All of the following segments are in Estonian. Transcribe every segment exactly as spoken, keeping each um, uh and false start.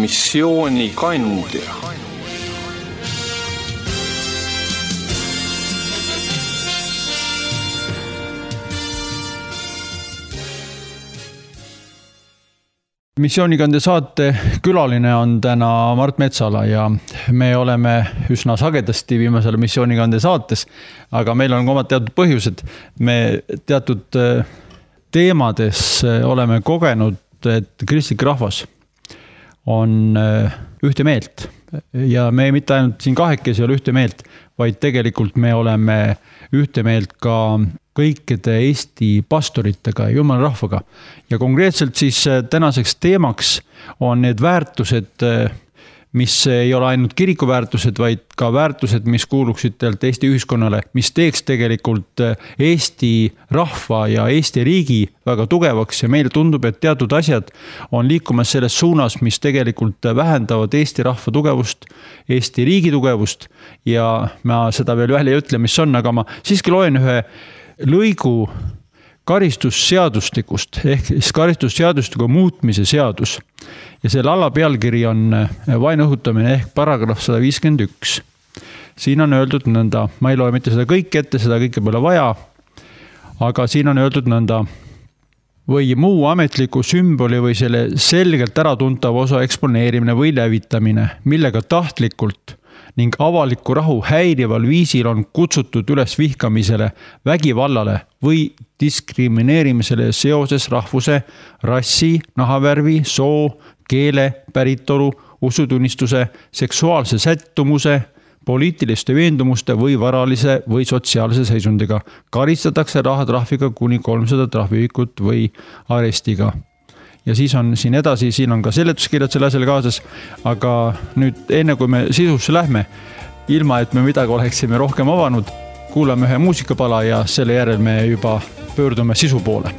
missioonikandja. Missioonikandja saate külaline on täna Mart Metsala ja me oleme üsna sagedasti viimasel missioonikandja saates, aga meil on omad teatud põhjused. Me teatud teemades oleme kogenud, et kristlik rahvas on ühte meelt ja me mitte ainult siin kahekesi ole ühte meelt, vaid tegelikult me oleme ühte meelt ka kõikide Eesti pastoritega ja jumala rahvaga. Ja konkreetselt siis tänaseks teemaks on need väärtused, mis ei ole ainult kirikuväärtused, vaid ka väärtused, mis kuuluksid teilt Eesti ühiskonnale, mis teeks tegelikult Eesti rahva ja Eesti riigi väga tugevaks ja meile tundub, et teatud asjad on liikumas selles suunas, mis tegelikult vähendavad Eesti rahva tugevust, Eesti riigi tugevust ja ma seda veel välja ei ütle, mis on, aga ma siiski loen ühe lõigu karistusseadustikust ehk karistusseadustiku muutmise seadus ja selle alapealkiri on vaenu õhutamine ehk paragrahv sada viiskümmend üks. Siin on öeldud nõnda, ma ei loe mitte seda kõik ette, seda kõike pole vaja, aga siin on öeldud nõnda või muu ametliku sümboli või selle selgelt äratuntava osa eksponeerimine või levitamine, millega tahtlikult ning avaliku rahu häirival viisil on kutsutud üles vihkamisele, vägivallale või diskrimineerimisele seoses rahvuse, rassi, nahavärvi, soo, keele, päritolu, usutunnistuse, seksuaalse sättumuse, poliitiliste veendumuste või varalise või sotsiaalse seisundiga. Karistatakse rahatrahviga kuni kolmsada trahviühikut või arestiga. Ja siis on siin edasi, siin on ka seletuskirjad selle asjale kaasas, aga nüüd enne kui me sisusse lähme, ilma et me midagi oleksime rohkem avanud, kuulame ühe muusikapala ja selle järel me juba pöördume sisu poole.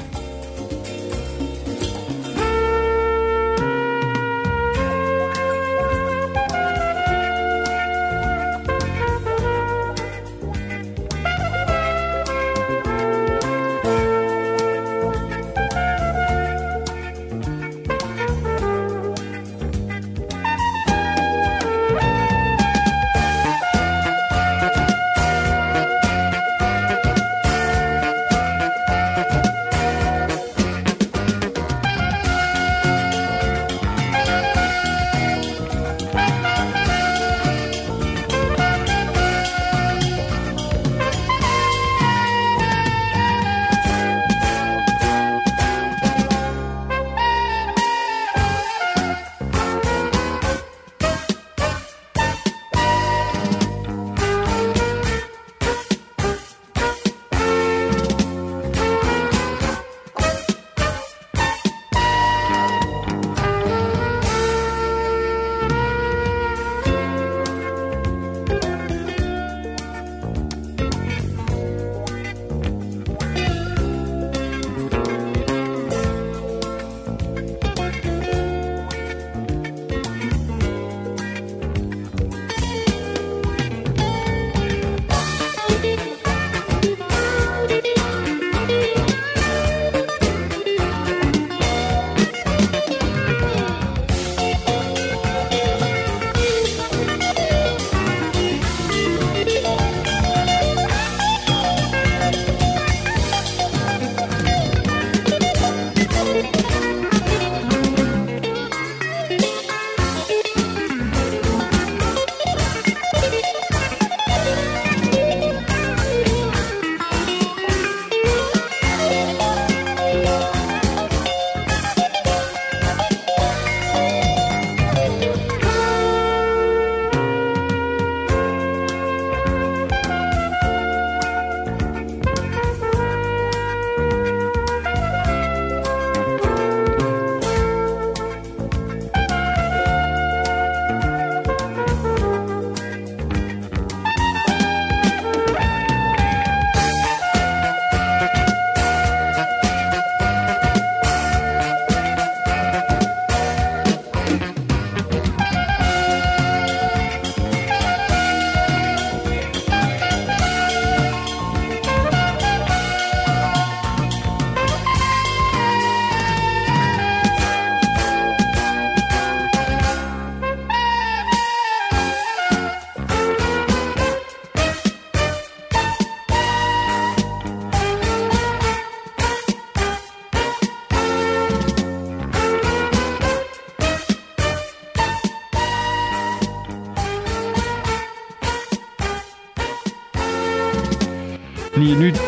nii, nüüd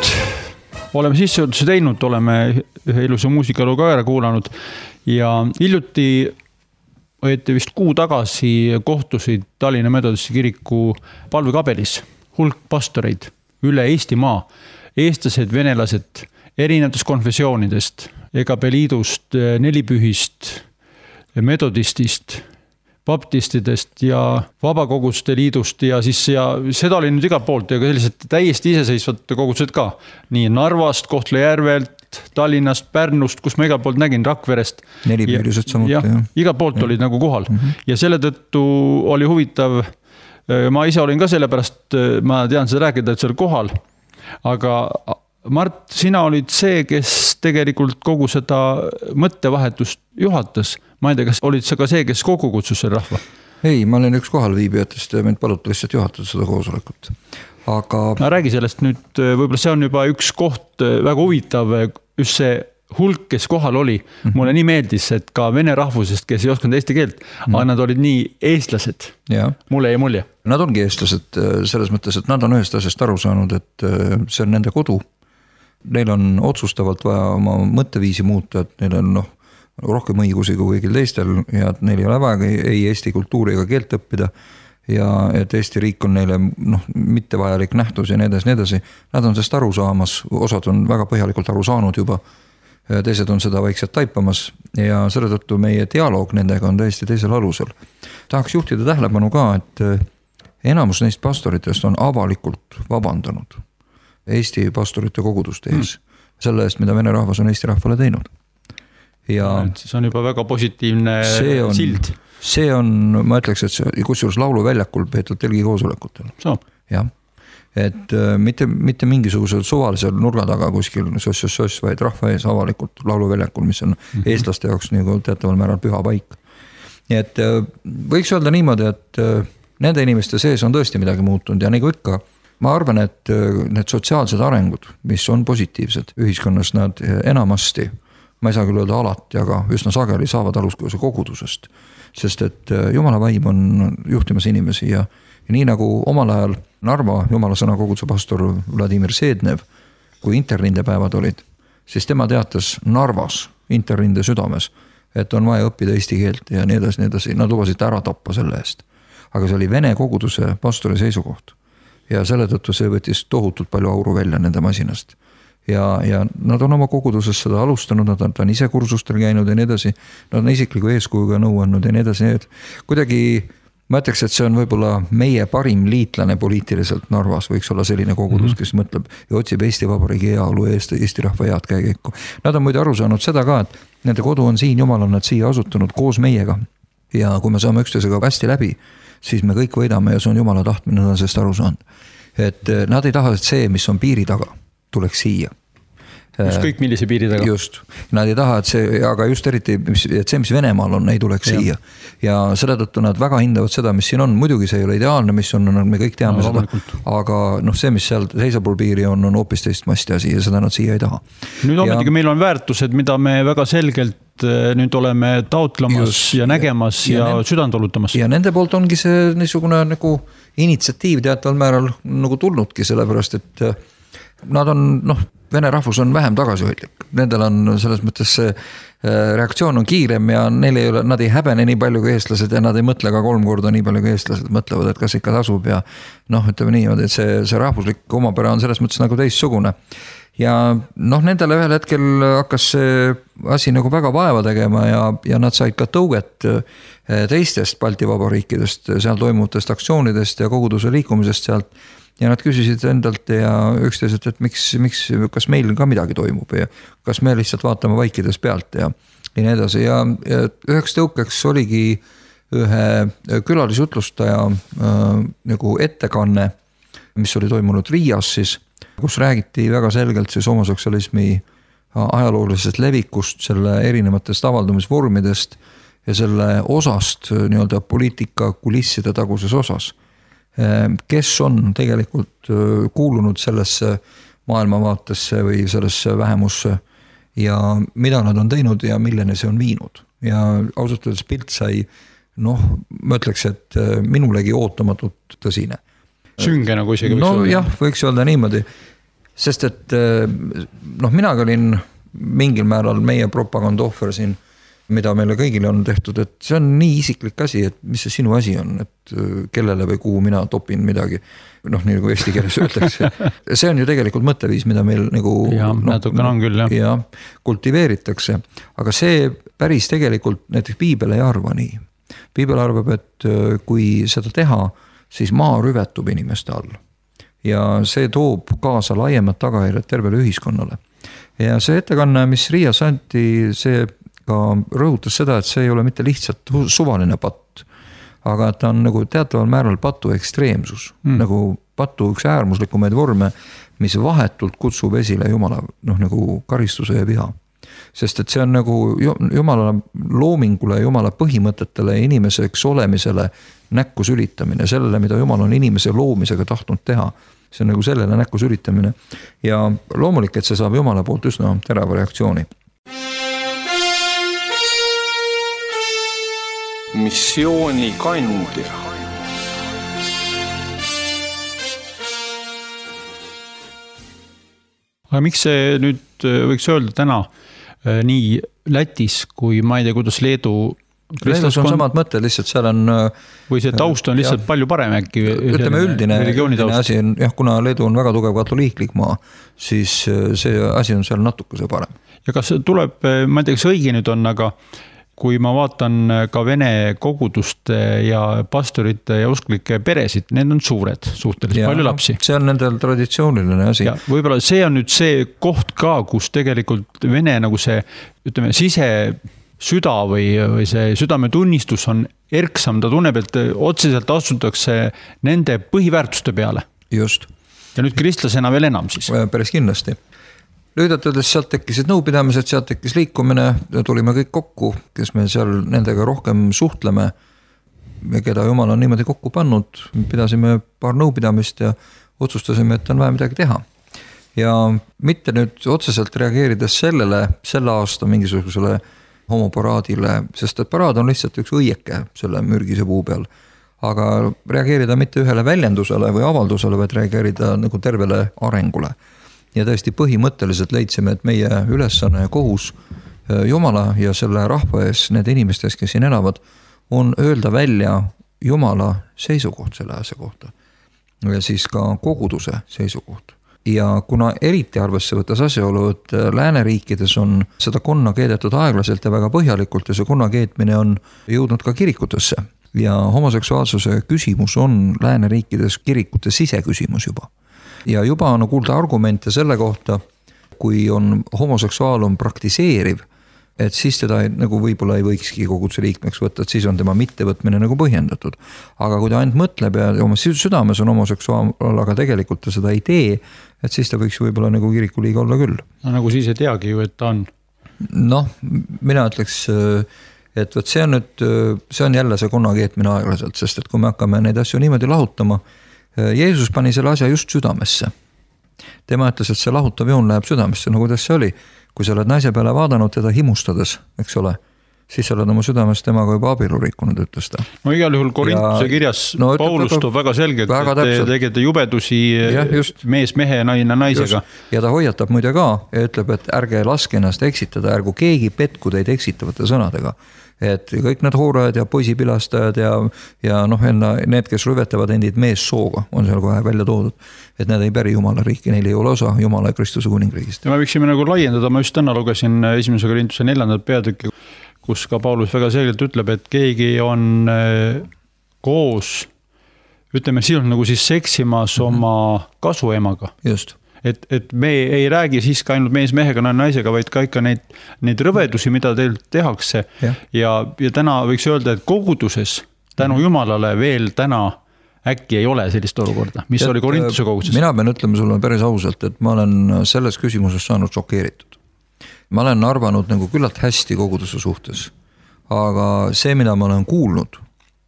oleme sissejuhatuse teinud, oleme ühe ilusa muusikaloo ka ära kuulanud ja hiljuti õieti vist kuu tagasi kohtusid Tallinna Metodisti kiriku palvekabelis hulk pastoreid üle Eestimaa, eestlased, venelased, erinevatest konfessioonidest, E K P liidust, nelipühist, metodistist, baptistidest ja vabakoguste liidust ja siis ja seda oli nüüd iga poolt ja sellised täiesti iseseisvad kogudused ka. Nii Narvast, Kohtla-Järvelt, Tallinnast, Pärnust, kus ma iga poolt nägin, Rakverest. Nelipüülised samuti. Ja, ja. Iga poolt ja. Olid nagu kohal. Mm-hmm. Ja selle tõttu oli huvitav, ma ise olin ka selle pärast, ma tean seda rääkida, et seal kohal, aga Mart, sina olid see, kes tegelikult kogu seda mõttevahetust juhatas. Ma ei tea, kas olid sa ka see, kes kogu kutsus selle rahva? Ei, ma olen üks kohal viibijatest ja mind paluti lihtsalt juhatada seda koosolekut. Aga... Ma räägi sellest nüüd, võib-olla see on juba üks koht väga huvitav, just see hulk, kes kohal oli. Mm-hmm. Mulle nii meeldis, et ka vene rahvusest, kes ei oskanud eesti keelt, mm-hmm. aga nad olid nii eestlased. Ja. Mulle ei mulje. Nad ongi eestlased selles mõttes, et nad on ühest asjast aru saanud, et see on nende kodu. Neil on otsustavalt vaja oma mõtteviisi muuta, et neil on noh, rohkem õigusi kui kõigil teistel ja et neil ei ole vaja ei eesti kultuuri ega keelt õppida ja et Eesti riik on neile noh, mitte vajalik nähtus ja nii edasi, nii edasi. Nad on sellest aru saamas, osad on väga põhjalikult aru saanud juba, teised on seda vaikselt taipamas ja selle tõttu meie dialoog nendega on täiesti teisel alusel. Tahaks juhtida tähelepanu ka, et enamus neist pastoritest on avalikult vabandanud Eesti pastorite koguduste ees, mm. selle eest, mida vene rahvas on Eesti rahvale teinud. Ja see on juba väga positiivne see on, sild. See on, ma ütleks, et see, kusjuures laulu väljakul peetud telgi koosolekutel. So. Ja. Et mitte, mitte mingisugusel suvalisel nurga taga kuskil soss-soss, vaid rahva ees avalikult laulu väljakul, mis on mm-hmm. eestlaste jaoks nagu teataval määral püha paik. Nii et võiks öelda niimoodi, et nende inimeste sees on tõesti midagi muutunud ja nagu ikka, ma arvan, et need sotsiaalsed arengud, mis on positiivsed ühiskonnas, nad enamasti, ma ei saa küll öelda alati, aga üsna sageli saavad aluskõuse kogudusest, sest et Jumala vaim on juhtimas inimesi ja, ja nii nagu omal ajal Narva Jumala sõna koguduse pastor Vladimir Seednev, kui interrinde päevad olid, siis tema teatas Narvas, interrinde südames, et on vaja õppida eesti keelt ja nii edasi, nii edasi, nad lubasid ära tappa selle eest. Aga see oli Vene koguduse pastori seisukoht. Ja selle tõttu see võttis tohutult palju auru välja nende masinast. Ja, ja nad on oma koguduses seda alustanud, nad on, nad on ise kursustel käinud ja nii edasi, nad on isikliku eeskujuga nõu andnud ja nii edasi, nii et kuidagi ma ütleks, et see on võib-olla meie parim liitlane poliitiliselt Narvas, võiks olla selline kogudus, mm-hmm. kes mõtleb ja otsib Eesti Vabariigi heaolu ja Eesti, Eesti rahva head käekäiku. Nad on muide aru saanud seda ka, et nende kodu on siin, Jumal on nad siia asutunud koos meiega ja kui me saame üksteisega hästi läbi, siis me kõik võidame ja see on Jumala tahtmine, nad on sellest aru saanud. Et nad ei taha, et see, mis on piiri taga, tuleks siia. Just kõik millise piiri taga. Just. Nad ei taha, et see, aga just eriti, et see, mis Venemaal on, ei tuleks ja. Siia. Ja selle tõttu nad väga hindavad seda, mis siin on. Muidugi see ei ole ideaalne, mis on, me kõik teame no, seda. Aga noh, see, mis seal seisapul piiri on, on hoopis teist masti asi ja seda nad siia ei taha. Nüüd ometigi ja... meil on väärtused, mida me väga selgelt nüüd oleme taotlemas just, ja nägemas ja, ja nende, südantolutamas. Ja nende poolt ongi see niisugune nagu initsiatiiv teataval määral nagu tulnudki, sellepärast, et nad on, noh, vene rahvus on vähem tagasihoidlik. Nendel on selles mõttes see reaktsioon on kiirem ja neil ei ole, nad ei häbene nii palju kui eestlased ja nad ei mõtle ka kolm korda nii palju kui eestlased mõtlevad, et kas ikka tasub ja noh, ütleme nii, et see, see rahvuslik omapära on selles mõttes nagu teistsugune. Ja noh, nendele ühel hetkel hakkas see asi nagu väga vaeva tegema ja, ja nad said ka tõuget teistest Balti vabariikidest, seal toimuvutest aktsioonidest ja koguduse liikumisest sealt. Ja nad küsisid endalt ja üksteiselt, et miks, miks, kas meil ka midagi toimub ja kas me lihtsalt vaatame vaikides pealt ja, ja nii edasi. Ja, ja üheks tõukeks oligi ühe külalisjutlustaja äh, nagu ettekanne, mis oli toimunud Riias siis, kus räägiti väga selgelt siis homoseksualismi ajaloolisest levikust, selle erinevatest avaldumisvormidest ja selle osast nii-öelda poliitika kulisside taguses osas, kes on tegelikult kuulunud sellesse maailmavaatesse või sellesse vähemusse ja mida nad on teinud ja milleni see on viinud. Ja ausalt öeldes pilt sai, noh, ma ütleks, et minulegi ootamatult tõsine. Sünge nagu isegi võiks no, öelda. Jah, võiks öelda niimoodi. sest et noh, minagi olin mingil määral meie propaganda ohver siin, mida meile kõigile on tehtud, et see on nii isiklik asi, et mis see sinu asi on, et kellele või kuhu mina topin midagi, noh, nii nagu eesti keeles öeldakse. See on ju tegelikult mõtteviis, mida meil nagu ja, no, no, on küll, jah. Ja, kultiveeritakse, aga see päris tegelikult näiteks piibel ei arva nii. Piibel arvab, et kui seda teha, siis maa rüvetub inimeste all ja see toob kaasa laiemad tagajärjed tervele ühiskonnale. Ja see ettekanne, mis Riias anti, see ka rõhutas seda, et see ei ole mitte lihtsalt suvaline patt, aga ta on nagu teataval määral patu ekstreemsus, mm. nagu patu üks äärmuslikumaid vorme, mis vahetult kutsub esile Jumala noh, nagu karistuse ja viha. Sest et see on nagu Jumala loomingule, Jumala põhimõtetele, inimeseks olemisele näkku sülitamine, sellele, mida Jumal on inimese loomisega tahtnud teha. See on nagu sellele näkku sülitamine ja loomulik, et see saab Jumala poolt üsna terava reaktsiooni. Missiooni kandja. Aga miks see nüüd võiks öelda täna nii Lätis kui ma ei tea, kuidas Leedu Leedus on samad mõtted, lihtsalt seal on või see taust on lihtsalt ja, palju parem äkki ütleme üldine, üldine asi on, jah, kuna Leedu on väga tugev katoliiklik maa, siis see asi on seal natukese parem. Ja kas tuleb, ma ei tea, kas õige nüüd on, aga kui ma vaatan ka vene koguduste ja pastorite ja usklike peresid, need on suured, suhteliselt ja, palju lapsi. See on nendel traditsiooniline asi. Ja võib-olla see on nüüd see koht ka, kus tegelikult vene nagu see, ütleme, sise süda või, või see südametunnistus on erksam, ta tunneb, et otseselt astutakse nende põhiväärtuste peale. Just. Ja nüüd kristlasena veel enam siis. Päris kindlasti. Lühidalt öeldes sealt tekkisid nõupidamised, sealt tekkis liikumine, tulime kõik kokku, kes me seal nendega rohkem suhtleme, keda Jumal on niimoodi kokku pannud, pidasime paar nõupidamist ja otsustasime, et on vaja midagi teha. Ja mitte nüüd otseselt reageerides sellele, selle aasta mingisugusele homoparaadile, sest et paraad on lihtsalt üks õieke selle mürgise puu peal. Aga reageerida mitte ühele väljendusele või avaldusele, vaid reageerida nagu tervele arengule. Ja tõesti põhimõtteliselt leidsime, et meie ülesanne ja kohus Jumala ja selle rahva ees, need inimestes, kes siin elavad, on öelda välja Jumala seisukoht selle asja kohta. Ja siis ka koguduse seisukoht. Ja kuna eriti arvesse võttes asjaolu, et lääneriikides on seda konna keedetud aeglaselt ja väga põhjalikult ja see konna keetmine on jõudnud ka kirikutesse. Ja homoseksuaalsuse küsimus on lääneriikides kirikute siseküsimus juba. Ja juba on kuulda argumente selle kohta, kui on homoseksuaal on praktiseeriv, et siis teda nagu võib-olla ei võikski koguduse liikmeks võtta, et siis on tema mittevõtmine nagu põhjendatud. Aga kui ta ainult mõtleb ja oma südames on homoseksuaal, aga tegelikult ta seda ei tee, et siis ta võiks võib-olla nagu kirikuliiga olla küll. No nagu siis ei teagi ju, et ta on. Noh, mina ütleks, et võt see on nüüd, see on jälle see konna keetmine aeglaselt, sest et kui me hakkame neid asju niimoodi lahutama, Jeesus pani selle asja just südamesse. Tema ütles, et see lahutav joon läheb südamesse, no kuidas see oli? Kui sa oled naise peale vaadanud teda himustades, eks ole, siis sa oled oma südames temaga juba abielu rikkunud, ütles ta. No igal juhul Korintuse kirjas no, Paulus toob väga selgelt, väga et te tegete jubedusi ja, mees mehe ja naine naisega. Just. Ja ta hoiatab muide ka ja ütleb, et ärge laske ennast eksitada, ärgu keegi petku teid eksitavate sõnadega. Et kõik need hoorajad ja poisipilastajad ja, ja noh, need, kes rüvetavad endid mees sooga, on seal kohe välja toodud, et need ei päri Jumala riiki, neil ei ole osa Jumala ja Kristuse kuningriigist. Ja me võiksime nagu laiendada, ma just täna lugesin esimese Korintuse neljandat peatükki, kus ka Paulus väga selgelt ütleb, et keegi on koos, ütleme, siin on nagu siis seksimas oma kasuemaga. Just. Et, et me ei räägi siis ka ainult mees mehega, naisega, vaid ka ikka neid, neid rõvedusi, mida teil tehakse. Ja, ja, ja täna võiks öelda, et koguduses tänu Jumalale veel täna äkki ei ole sellist olukorda, mis et, oli Korintuse koguduses. Mina pean ütlema sulle päris ausalt, et ma olen selles küsimuses saanud šokeeritud. Ma olen arvanud nagu küllalt hästi koguduse suhtes, aga see, mida ma olen kuulnud,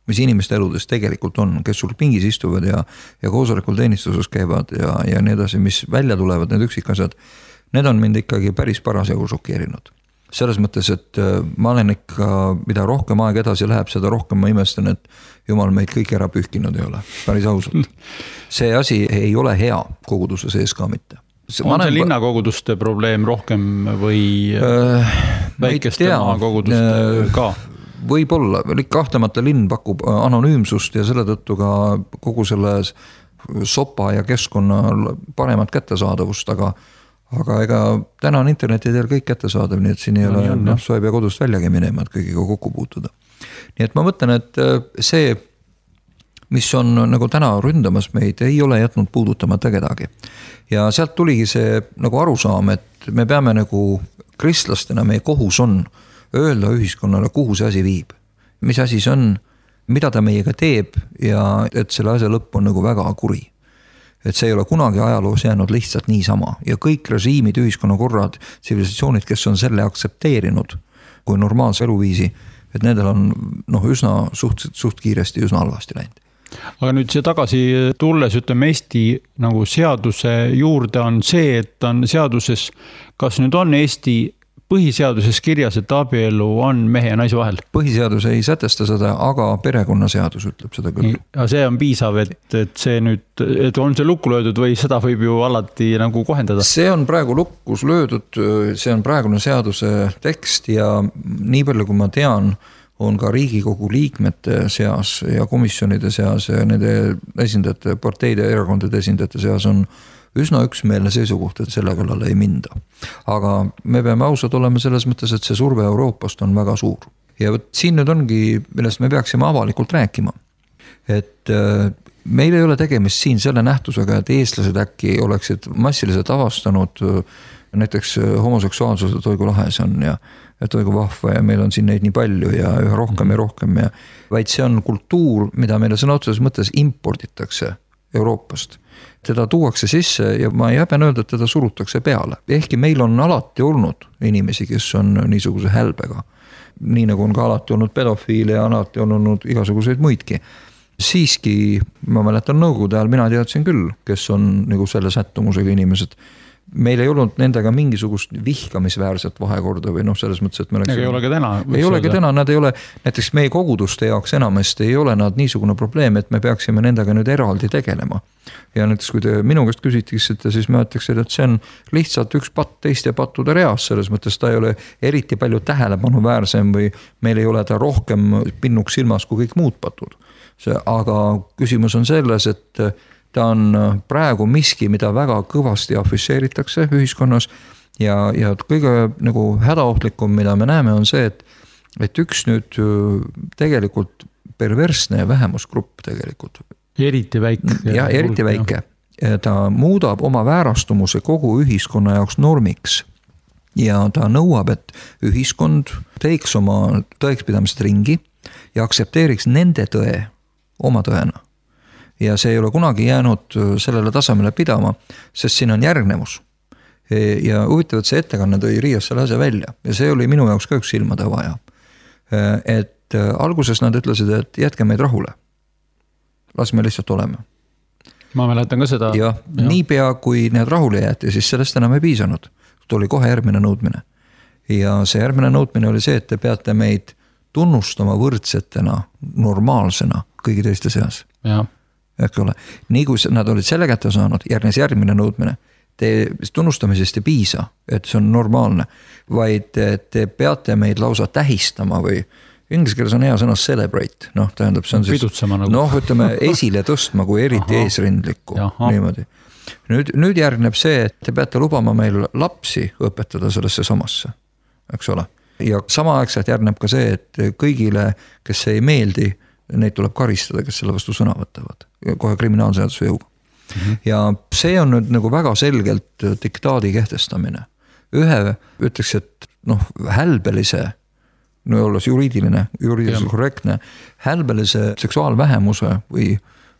mis inimeste eludes tegelikult on, kes sul pingis istuvad ja, ja koosolekul teenistuses käivad ja, ja nii edasi, mis välja tulevad, need üksikasjad, need on mind ikkagi päris parasjagu šokeerinud. Selles mõttes, et ma olen ikka, mida rohkem aeg edasi läheb, seda rohkem ma imestan, et Jumal meid kõik ära pühkinud ei ole, päris ausalt. See asi ei ole hea koguduse sees ka mitte. on vanem... see linnakoguduste probleem rohkem või äh, väikeste maakoguduste äh, ka? Võib-olla, kahtlemata linn pakub anonüümsust ja selle tõttu ka kogu selle sopa ja keskkonna paremat kättesaadavust, aga aga ega täna on interneti teel kõik kättesaadav, nii et siin ei no, ole, noh, sa ei pea kodust väljagi minema, et kõigiga kokku puutuda. Nii et ma mõtlen, et see, mis on nagu täna ründamas meid, ei ole jätnud puudutamata kedagi. Ja sealt tuligi see nagu arusaam, et me peame nagu kristlastena, meie kohus on öelda ühiskonnale, kuhu see asi viib. Mis asi see on, mida ta meiega teeb ja et selle asja lõpp on nagu väga kuri. Et see ei ole kunagi ajaloos jäänud lihtsalt niisama ja kõik režiimid, ühiskonnakorrad, tsivilisatsioonid, kes on selle aksepteerinud kui normaalse eluviisi, et nendel on noh, üsna suht, suht kiiresti üsna halvasti läinud. Aga nüüd see tagasi tulles, ütleme Eesti nagu seaduse juurde on see, et on seaduses, kas nüüd on Eesti põhiseaduses kirjas, et abielu on mehe ja naise vahel? Põhiseadus ei sätesta seda, aga perekonnaseadus ütleb seda küll. Ja see on piisav, et, et see nüüd, et on see lukku löödud või seda võib ju alati nagu kohendada? See on praegu lukkus löödud, see on praegune seaduse tekst ja nii palju, kui ma tean, on ka Riigikogu liikmete seas ja komisjonide seas ja nende esindajate, parteide ja erakondade esindajate seas on üsna üksmeelne seisukoht, et selle kallale ei minda. Aga me peame ausad olema selles mõttes, et see surve Euroopast on väga suur. Ja võt, siin nüüd ongi, millest me peaksime avalikult rääkima. Et meil ei ole tegemist siin selle nähtusega, et eestlased äkki oleksid massiliselt avastanud näiteks homoseksuaalsuse toigu lahes on ja toigu vahva ja meil on siin neid nii palju ja üha rohkem ja rohkem. Ja, vaid see on kultuur, mida meile sõna otseses mõttes imporditakse Euroopast. Teda tuuakse sisse ja ma ei häben öelda, et teda surutakse peale. Ehkki meil on alati olnud inimesi, kes on niisuguse hälbega. Nii nagu on ka alati olnud pedofiile ja alati on olnud igasuguseid muidki. Siiski, ma mäletan nõukogude ajal, mina teadsin küll, kes on nagu selle sättumusega inimesed. Meil ei olnud nendega mingisugust vihkamisväärset vahekorda või noh, selles mõttes, et me oleks... Ei olegi täna. Ei olegi täna, nad ei ole, näiteks meie koguduste jaoks enamasti ei ole nad niisugune probleem, et me peaksime nendega nüüd eraldi tegelema. Ja näiteks, kui te minu käest küsitiksite, siis ma ütleks, et see on lihtsalt üks patt teiste pattude reas, selles mõttes ta ei ole eriti palju tähelepanu väärsem või meil ei ole ta rohkem pinnuks silmas kui kõik muud patud. See, aga küsimus on selles, et ta on praegu miski, mida väga kõvasti afisseeritakse ühiskonnas ja, ja kõige nagu hädaohtlikum, mida me näeme, on see, et, et üks nüüd tegelikult perversne vähemusgrupp tegelikult. Eriti väike. Ja, eriti väike. Ta muudab oma väärastumuse kogu ühiskonna jaoks normiks ja ta nõuab, et ühiskond teiks oma tõekspidamist ringi ja aksepteeriks nende tõe oma tõena. Ja see ei ole kunagi jäänud sellele tasemele pidama, sest siin on järgnevus. Ja huvitav, et see ettekanne tõi Riias selle asja välja ja see oli minu jaoks ka üks silmade vaja. Et alguses nad ütlesid, et jätke meid rahule. Las me lihtsalt oleme. Ma mäletan ka seda. Ja, ja. Niipea kui need rahule jäeti, siis sellest enam ei piisanud. Tuli kohe järgmine nõudmine. Ja see järgmine nõudmine oli see, et te peate meid tunnustama võrdsetena, normaalsena kõigi teiste seas. Ja. Ehk ole. Nii kui nad olid selle kätte saanud, järgnes järgmine nõudmine. Te tunnustamisest ei piisa, et see on normaalne, vaid te peate meid lausa tähistama või inglise keeles on hea sõna celebrate, noh, tähendab, see on siis, nagu. noh, ütleme esile tõstma kui eriti Aha. eesrindlikku, Aha. niimoodi. Nüüd, nüüd järgneb see, et te peate lubama meil lapsi õpetada sellesse samasse, eks ole. Ja samaaegselt järgneb ka see, et kõigile, kes ei meeldi, neid tuleb karistada, kes selle vastu sõna võtavad, kohe kriminaalseaduse jõuga. Mm-hmm. Ja see on nüüd nagu väga selgelt diktaadi kehtestamine. Ühe ütleks, et noh, hälbelise, no olles juriidiline, juriidiliselt korrektne, hälbelise seksuaalvähemuse või,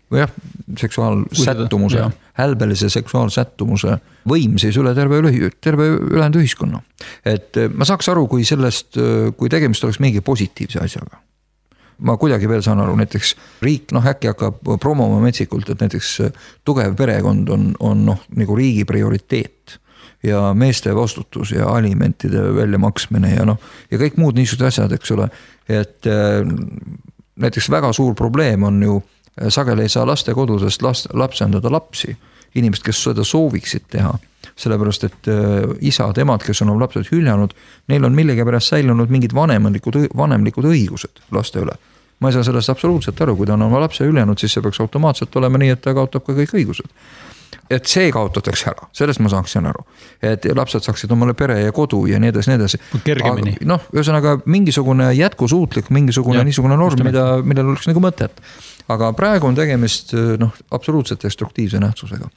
või jah, seksuaalsättumuse, hälbelise seksuaalsättumuse võim siis üle terve, üle, terve ülejäänud ühiskonna. Et ma saaks aru, kui sellest, kui tegemist oleks mingi positiivse asjaga. Ma kuidagi veel saan aru, näiteks riik noh, äkki hakkab promoma metsikult, et näiteks tugev perekond on, on noh, nagu riigi prioriteet ja meeste vastutus ja alimentide väljamaksmine ja noh, ja kõik muud niisugused asjad, eks ole, et äh, näiteks väga suur probleem on ju, sageli ei saa laste kodudest last, lapsendada lapsi, inimesed, kes seda sooviksid teha. sellepärast, et isad, emad, kes on oma lapsed hüljanud, neil on millegi pärast säilunud mingid vanemlikud, vanemlikud õigused laste üle. Ma ei saa sellest absoluutselt aru, kui ta on oma lapse hüljanud, siis see peaks automaatselt olema nii, et ta kaotab ka kõik õigused. Et see kaotatakse ära, sellest ma saaksin aru. Et lapsed saaksid omale pere ja kodu ja nii edasi, nii edasi. Kergemini. Noh, ühesõnaga mingisugune jätkusuutlik, mingisugune ja, niisugune norm, mida, millel oleks nagu mõtet. Aga praegu on tegemist noh, absoluutselt destruktiivse nähtusega.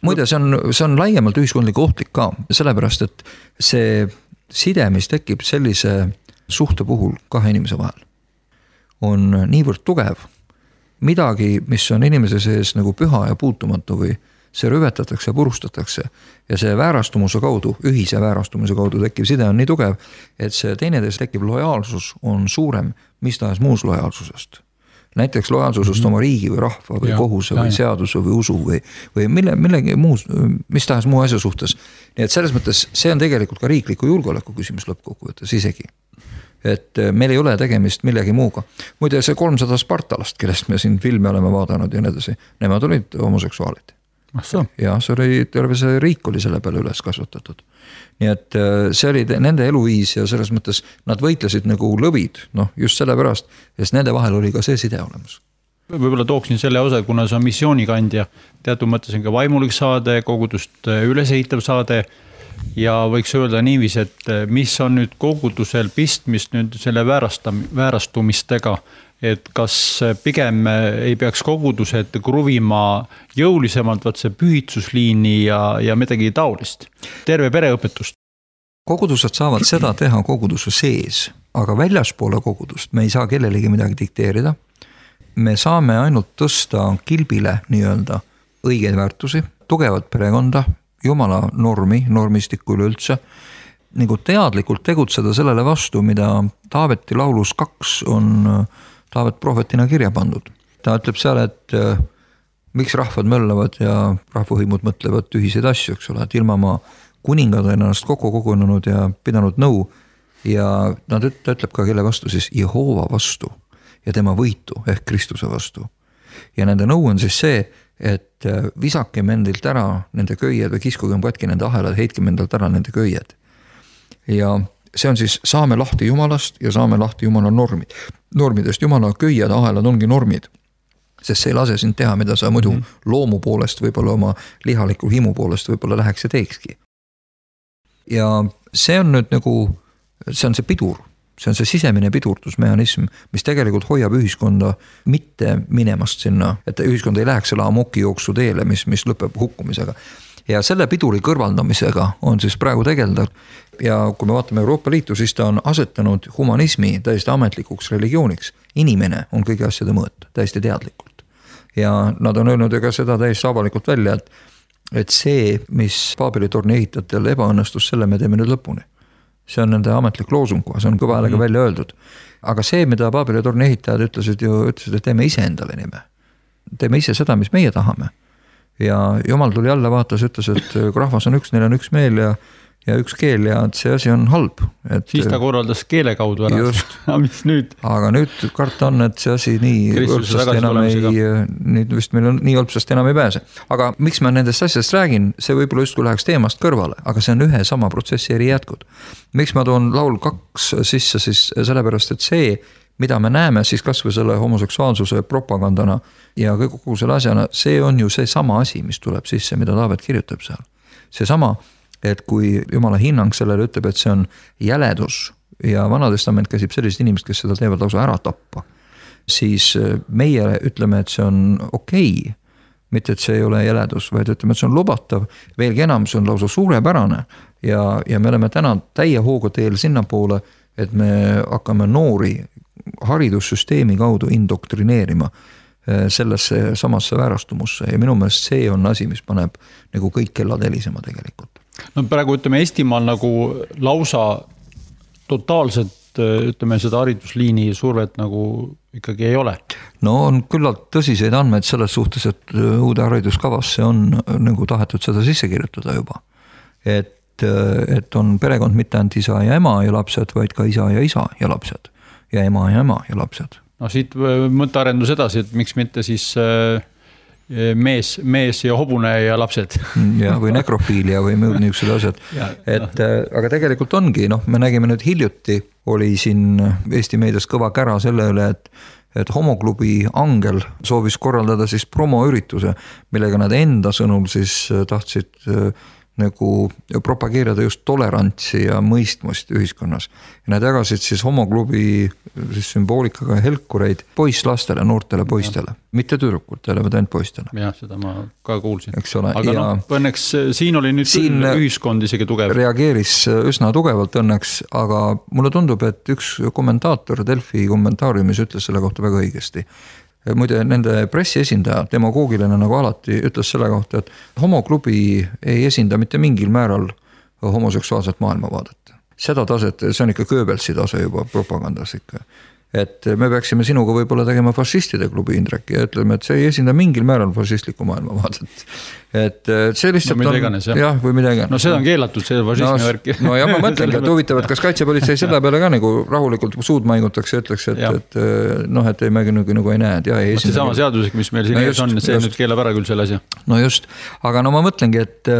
Muide, see on, see on laiemalt ühiskondlik ohtlik ka, sellepärast, et see side, mis tekib sellise suhte puhul kahe inimese vahel, on niivõrd tugev. Midagi, mis on inimese sees nagu püha ja puutumatu või see rüvetatakse ja purustatakse ja see väärastumuse kaudu, ühise väärastumuse kaudu tekkiv side on nii tugev, et see teineteis tekkiv lojaalsus on suurem mis tahes muus lojaalsusest. Näiteks lojaalsusest mm-hmm. oma riigi või rahva või ja, kohuse ja, või seaduse või usu või, või mille, millegi muus, mis tahes muu asja suhtes. Nii et selles mõttes see on tegelikult ka riikliku julgeoleku küsimus lõppkokkuvõttes isegi. Et meil ei ole tegemist millegi muuga. Muide see kolmsada Spartalast, kellest me siin filmi oleme vaadanud ja nii edasi, nemad olid homoseksuaalid. Ja see oli, terve see riik oli selle peale üles kasvatatud. Nii et see oli nende eluviis ja selles mõttes nad võitlesid nagu lõvid, noh just selle pärast, sest nende vahel oli ka see side olemas. Võib-olla tooksin selle osa, kuna see on missioonikandja, teatud mõttes on ka vaimulik saade, kogudust ülesehitav saade ja võiks öelda niivis, et mis on nüüd kogudusel pistmist nüüd selle väärastam, väärastumistega, et kas pigem ei peaks kogudused kruvima jõulisemalt vaat see pühitsusliini ja, ja midagi taolist. Terve pereõpetust. Kogudused saavad seda teha koguduse sees, aga väljaspoole kogudust me ei saa kellelegi midagi dikteerida. Me saame ainult tõsta kilbile nii-öelda õigeid väärtusi, tugevat perekonda, jumala normi, normistikku üleüldse, nagu teadlikult tegutseda sellele vastu, mida Taaveti laulus kaks on Taavet prohvetina kirja pandud. Ta ütleb seal, et äh, miks rahvad möllavad ja rahvahõimud mõtlevad ühiseid asju, eks ole, et ilma ma kuningad on ennast kokku kogunenud ja pidanud nõu ja nad üt, ta ütleb ka kelle vastu siis Jehova vastu ja tema võitu ehk Kristuse vastu. Ja nende nõu on siis see, et äh, visakem endilt ära nende köied või kiskugem katki nende ahelad, heitkem endalt ära nende köied. Ja see on siis saame lahti Jumalast ja saame lahti Jumala normid. Normidest Jumala köied, ahelad ongi normid, sest see ei lase sind teha, mida sa muidu mm-hmm. loomu poolest, võib-olla oma lihaliku himu poolest võib-olla läheks ja teekski. Ja see on nüüd nagu, see on see pidur, see on see sisemine pidurtusmehhanism, mis tegelikult hoiab ühiskonda mitte minemast sinna, et ühiskond ei läheks selle amoki jooksu teele, mis, mis lõpeb hukkumisega. Ja selle piduri kõrvaldamisega on siis praegu tegelda ja kui me vaatame Euroopa Liitu, siis ta on asetanud humanismi täiesti ametlikuks religiooniks. Inimene on kõigi asjade mõõt, täiesti teadlikult. Ja nad on öelnud ka seda täiesti avalikult välja, et, et see, mis Paabeli torni ehitajatel ebaõnnestus, selle me teeme nüüd lõpuni. See on nende ametlik loosung, see on kõva häälega mm. välja öeldud. Aga see, mida Paabeli torni ehitajad ütlesid, ju, ütlesid, et teeme ise endale nime. Teeme ise seda, mis meie tahame. Ja Jumal tuli alla vaatas, ütles, et rahvas on üks, neil on üks meel ja, ja üks keel ja see asi on halb. Et, siis ta korraldas keele kaudu ära. Just. Mis nüüd? Aga nüüd karta on, et see asi nii õlpsast enam ei, nüüd vist meil on nii õlpsast enam ei pääse. Aga miks ma nendest asjast räägin, see võib-olla just kui läheks teemast kõrvale, aga see on ühe sama protsessi eri jätkud. Miks ma toon laul kaks sisse siis sellepärast, et see, mida me näeme siis kas või selle homoseksuaalsuse propagandana ja kogu selle asjana, see on ju see sama asi, mis tuleb sisse, mida Taavet kirjutab seal. See sama, et kui Jumala hinnang sellele ütleb, et see on jäledus ja Vanatestament käsib sellised inimesed, kes seda teevad lausa ära tappa, siis meie ütleme, et see on okei, okay. Mitte, et see ei ole jäledus, vaid ütleme, et see on lubatav, veelgi enam, see on lausa suurepärane ja, ja me oleme täna täie hooga teel sinna poole, et me hakkame noori haridussüsteemi kaudu indoktrineerima sellesse samasse väärastumusse ja minu meelest see on asi, mis paneb nagu kõik kellad helisema tegelikult. No praegu ütleme Eestimaal nagu lausa totaalselt ütleme seda haridusliini survet nagu ikkagi ei ole. No on küllalt tõsiseid andmeid selles suhtes, et uude hariduskavasse on nagu tahetud seda sisse kirjutada juba. Et, et on perekond mitte ainult isa ja ema ja lapsed, vaid ka isa ja isa ja lapsed ja ema ja ema ja lapsed. No siit mõttearendus edasi, et miks mitte siis mees, mees ja hobune ja lapsed. ja, või nekrofiilia või muud niisugused asjad. et aga tegelikult ongi, noh, me nägime nüüd hiljuti, oli siin Eesti meedias kõva kära selle üle, et et homoklubi Angel soovis korraldada siis promoürituse, millega nad enda sõnul siis tahtsid nagu propageerida just tolerantsi ja mõistmust ühiskonnas. Ja nad jagasid siis homoklubi siis sümboolikaga helkureid poisslastele, noortele poistele, mitte tüdrukutele, vaid ainult poistele. jah, seda ma ka kuulsin. Aga ja noh, õnneks siin oli nüüd siin ühiskond isegi tugev. Reageeris üsna tugevalt õnneks, aga mulle tundub, et üks kommentaator Delfi kommentaariumis ütles selle kohta väga õigesti. Muide, nende pressiesindaja, demagoogiline nagu alati, ütles selle kohta, et homoklubi ei esinda mitte mingil määral homoseksuaalset maailmavaadet. Seda taset, see on ikka Goebbelsi tase juba propagandas ikka. Et me peaksime sinuga võib-olla tegema fašistide klubi, Indrek, ja ütleme, et see ei esinda mingil määral fašistlikku maailmavaadet. Et see lihtsalt no, on... Iganes, jah. jah, või midagi. No seda on keelatud, see fašismi no, värki. No ja ma mõtlengi, et huvitav, et kas kaitsepolitsei selle peale ka nagu rahulikult suud maigutakse ja ütleks, et, et noh, et ei mägi nagu, nagu ei näe, et jah, ei esinda. See sama seadusek, mis meil siin no just, on, see just. Nüüd keelab ära küll selle asja. No just, aga no ma mõtlengi, et,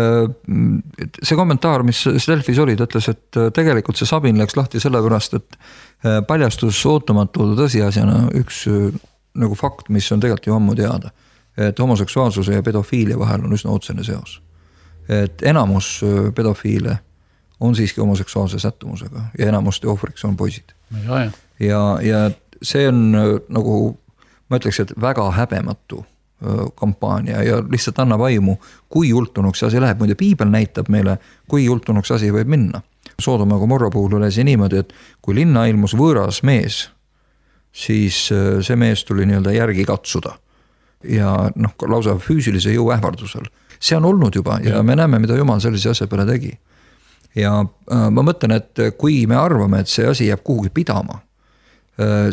et see kommentaar, mis Delfis oli, ta ütles, et tegelikult see Sabin läks lahti sellepärast, et paljastus ootamatu tõsiasjana üks nagu fakt, mis on tegelikult ju ammu teada, et homoseksuaalsuse ja pedofiilia vahel on üsna otsene seos. Et enamus pedofiile on siiski homoseksuaalse sättumusega ja enamuste ohvriks on poisid. Ja, ja. ja, ja see on nagu, ma ütleks, et väga häbematu kampaania ja lihtsalt annab aimu, kui jultunuks asi läheb. Muide, piibel näitab meile, kui jultunuks asi võib minna. Soodoma ja Gomorra puhul oli see niimoodi, et kui linna ilmus võõras mees, siis see mees tuli nii-öelda järgi katsuda. Ja noh, lausa füüsilise jõu ähvardusel. See on olnud juba ja me näeme, mida Jumal sellise asja peale tegi. Ja ma mõtlen, et kui me arvame, et see asi jääb kuhugi pidama,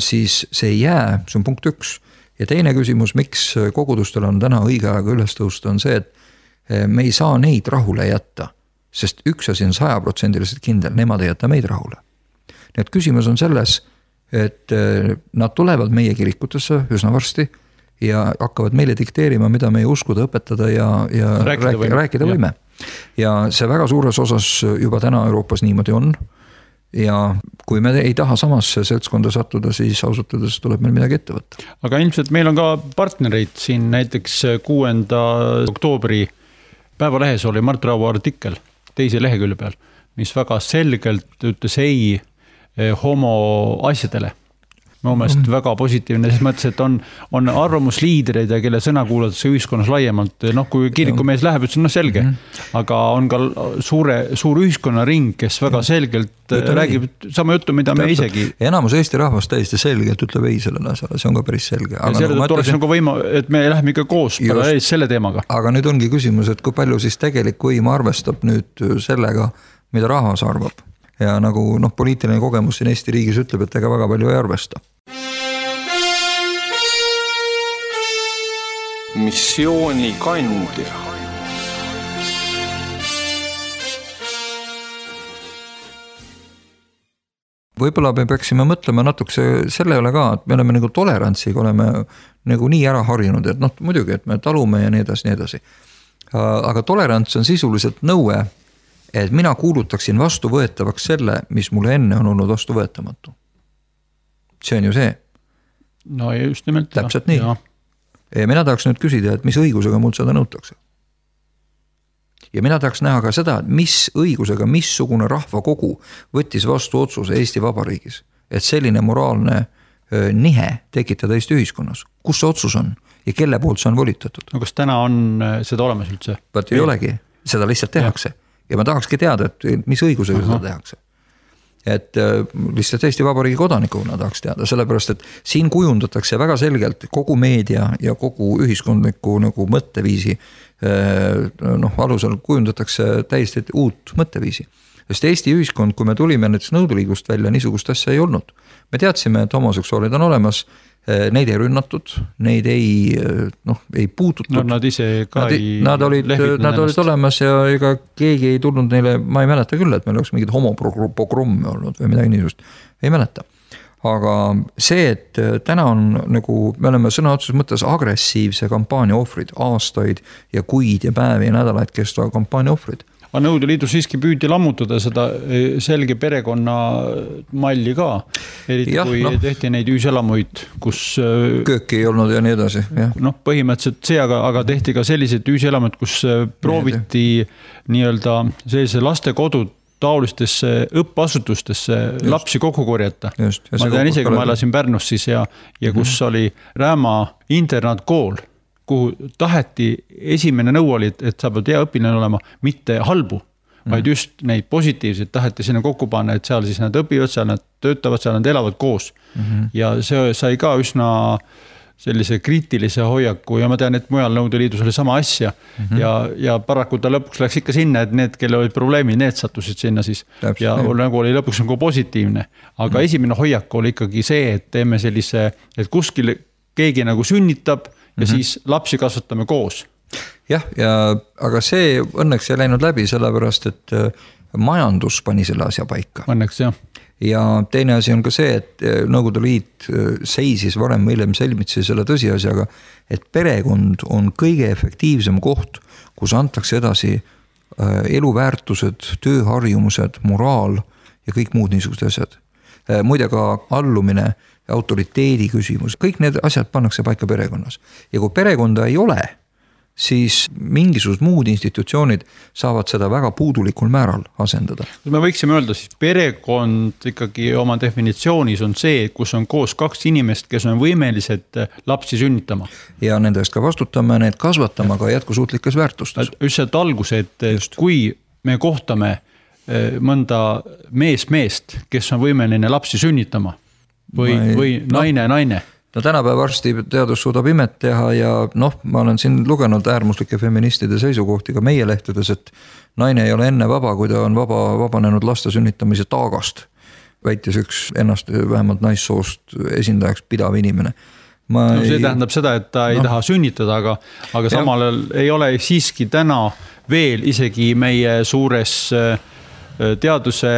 siis see ei jää, see on punkt üks. Ja teine küsimus, miks kogudustel on täna õige aega üles tõusta, on see, et me ei saa neid rahule jätta. Sest üks asi on saja protsendiliselt kindel, nemad ei jäta meid rahule. Nii et küsimus on selles, et nad tulevad meie kirikutesse üsna varsti ja hakkavad meile dikteerima, mida meie uskuda, õpetada ja, ja rääkida, rääkida, võime. rääkida võime. Ja see väga suures osas juba täna Euroopas niimoodi on. Ja kui me ei taha samasse seltskonda sattuda, siis ausutades tuleb meil midagi ette võtta. Aga ilmselt meil on ka partnereid siin näiteks kuuenda oktoobri päevalehes oli Mart Raua artikkel teise lehekülje peal, mis väga selgelt ütles ei homo asjadele. Mu meelest mm-hmm. väga positiivne, selles mõttes, et on, on arvamusliidreid ja kelle sõna kuulatakse ühiskonnas laiemalt. Noh, kui kirikumees läheb, ütles, no selge, mm-hmm. aga on ka suure, suur ühiskonnaring, kes väga selgelt Ütle räägib ei. Sama juttu, mida me isegi. Enamus Eesti rahvast täiesti selgelt ütleb ei sellele asjale, see on ka päris selge. Aga selle nagu oleks nagu võima, et me läheme ikka koos ees selle teemaga. Aga nüüd ongi küsimus, et kui palju siis tegelik võim arvestab nüüd sellega, mida rahvas arvab. Ja nagu noh, poliitiline kogemus siin Eesti riigis ütleb, et ega väga palju ei arvesta. Missiooni kandja. Võib-olla me peaksime mõtlema natukse selle üle ka, et me oleme nagu tolerantsiga, oleme nagu nii ära harjunud, et noh, muidugi, et me talume ja nii edasi, nii edasi. Aga tolerants on sisuliselt nõue, et mina kuulutaksin vastuvõetavaks selle, mis mulle enne on olnud vastuvõetamatu. See on ju see. No just nimelt. Täpselt nii. Ja mina tahaks nüüd küsida, et mis õigusega mul seda nõutakse. Ja mina tahaks näha ka seda, et mis õigusega, missugune rahvakogu võttis vastu otsuse Eesti Vabariigis, et selline moraalne nihe tekitada Eesti ühiskonnas. Kus see otsus on ja kelle poolt see on volitatud? No kas täna on seda olemas üldse? Vaat ei olegi, seda lihtsalt tehakse. Ja. Ja ma tahakski teada, et mis õigusega Aha. seda tehakse. Et lihtsalt Eesti Vabariigi kodanikuna tahaks teada, sellepärast, et siin kujundatakse väga selgelt kogu meedia ja kogu ühiskondliku nagu mõtteviisi noh, alusel kujundatakse täiesti uut mõtteviisi. Sest Eesti ühiskond, kui me tulime näiteks nõuduliigust välja, niisugust asja ei olnud. Me teadsime, et homoseksuaalid on olemas, neid ei rünnatud, neid ei, noh, ei puututud. No nad ise ka nad, ei... Nad olid, nad olid olemas ja ega keegi ei tulnud neile, ma ei mäleta küll, et meil oleks mingid homopogromme olnud või midagi niisugust. Ei mäleta. aga see, et täna on nagu, me oleme sõna otseses mõttes agressiivse kampaania ohvrid, aastaid ja kuid ja päevi ja nädalaid kestva kampaania ohvrid. Aga Nõukogude Liidus siiski püüdi lammutada seda selge perekonna malli ka, eriti ja, kui no. tehti neid üüselamuid, kus kööki ei olnud ja nii edasi. Noh, põhimõtteliselt see, aga, aga tehti ka sellised üüselamud, kus prooviti nii-öelda sellise lastekodud taolistesse õppeasutustesse just. Lapsi kokku korjata. Just, ma tean ise, kui ma elasin Pärnus siis ja, ja kus mm-hmm. oli Rääma internaatkool, kuhu taheti, esimene nõu oli, et sa pead hea õpilane olema, mitte halbu, mm-hmm. vaid just neid positiivseid taheti sinna kokku panna, et seal siis nad õpivad, seal nad töötavad, seal nad elavad koos. Mm-hmm. Ja see sai ka üsna sellise kriitilise hoiaku ja ma tean, et mujal Nõukogude Liidus oli sama asja mm-hmm. ja, ja paraku ta lõpuks läks ikka sinna, et need, kelle olid probleemid, need sattusid sinna siis Täpselt, ja nii. Nagu oli lõpuks nagu positiivne. Aga mm-hmm. esimene hoiak oli ikkagi see, et teeme sellise, et kuskil keegi nagu sünnitab ja mm-hmm. siis lapsi kasvatame koos. Jah, ja, aga see õnneks ei läinud läbi sellepärast, et majandus pani selle asja paika. Õnneks, jah. Ja teine asi on ka see, et Nõukogude Liit seisis varem või hiljem selmitsi selle tõsiasjaga, et perekond on kõige efektiivsem koht, kus antakse edasi eluväärtused, tööharjumused, moraal ja kõik muud niisugused asjad. Muide ka allumine, autoriteedi küsimus, kõik need asjad pannakse paika perekonnas. Ja kui perekonda ei ole, siis mingisugused muud institutsioonid saavad seda väga puudulikul määral asendada. Me võiksime öelda, siis perekond ikkagi oma definitsioonis on see, kus on koos kaks inimest, kes on võimelised lapsi sünnitama. Ja nendest ka vastutame, need kasvatama ka jätkusuutlikes väärtustes. Just see algus, et Just. kui me kohtame mõnda mees meest, kes on võimeline lapsi sünnitama või, ei, või naine no. naine. No tänapäev varsti teadus suudab imet teha ja noh, ma olen siin lugenud äärmuslike feministide seisukohti ka meie lehtedes, et naine ei ole enne vaba, kui ta on vaba, vabanenud laste sünnitamise taagast. Väitis üks ennast vähemalt naissoost esindajaks pidav inimene. Ma no see ei... tähendab seda, et ta ei no. taha sünnitada, aga, aga samal ajal ei ole siiski täna veel isegi meie suures teaduse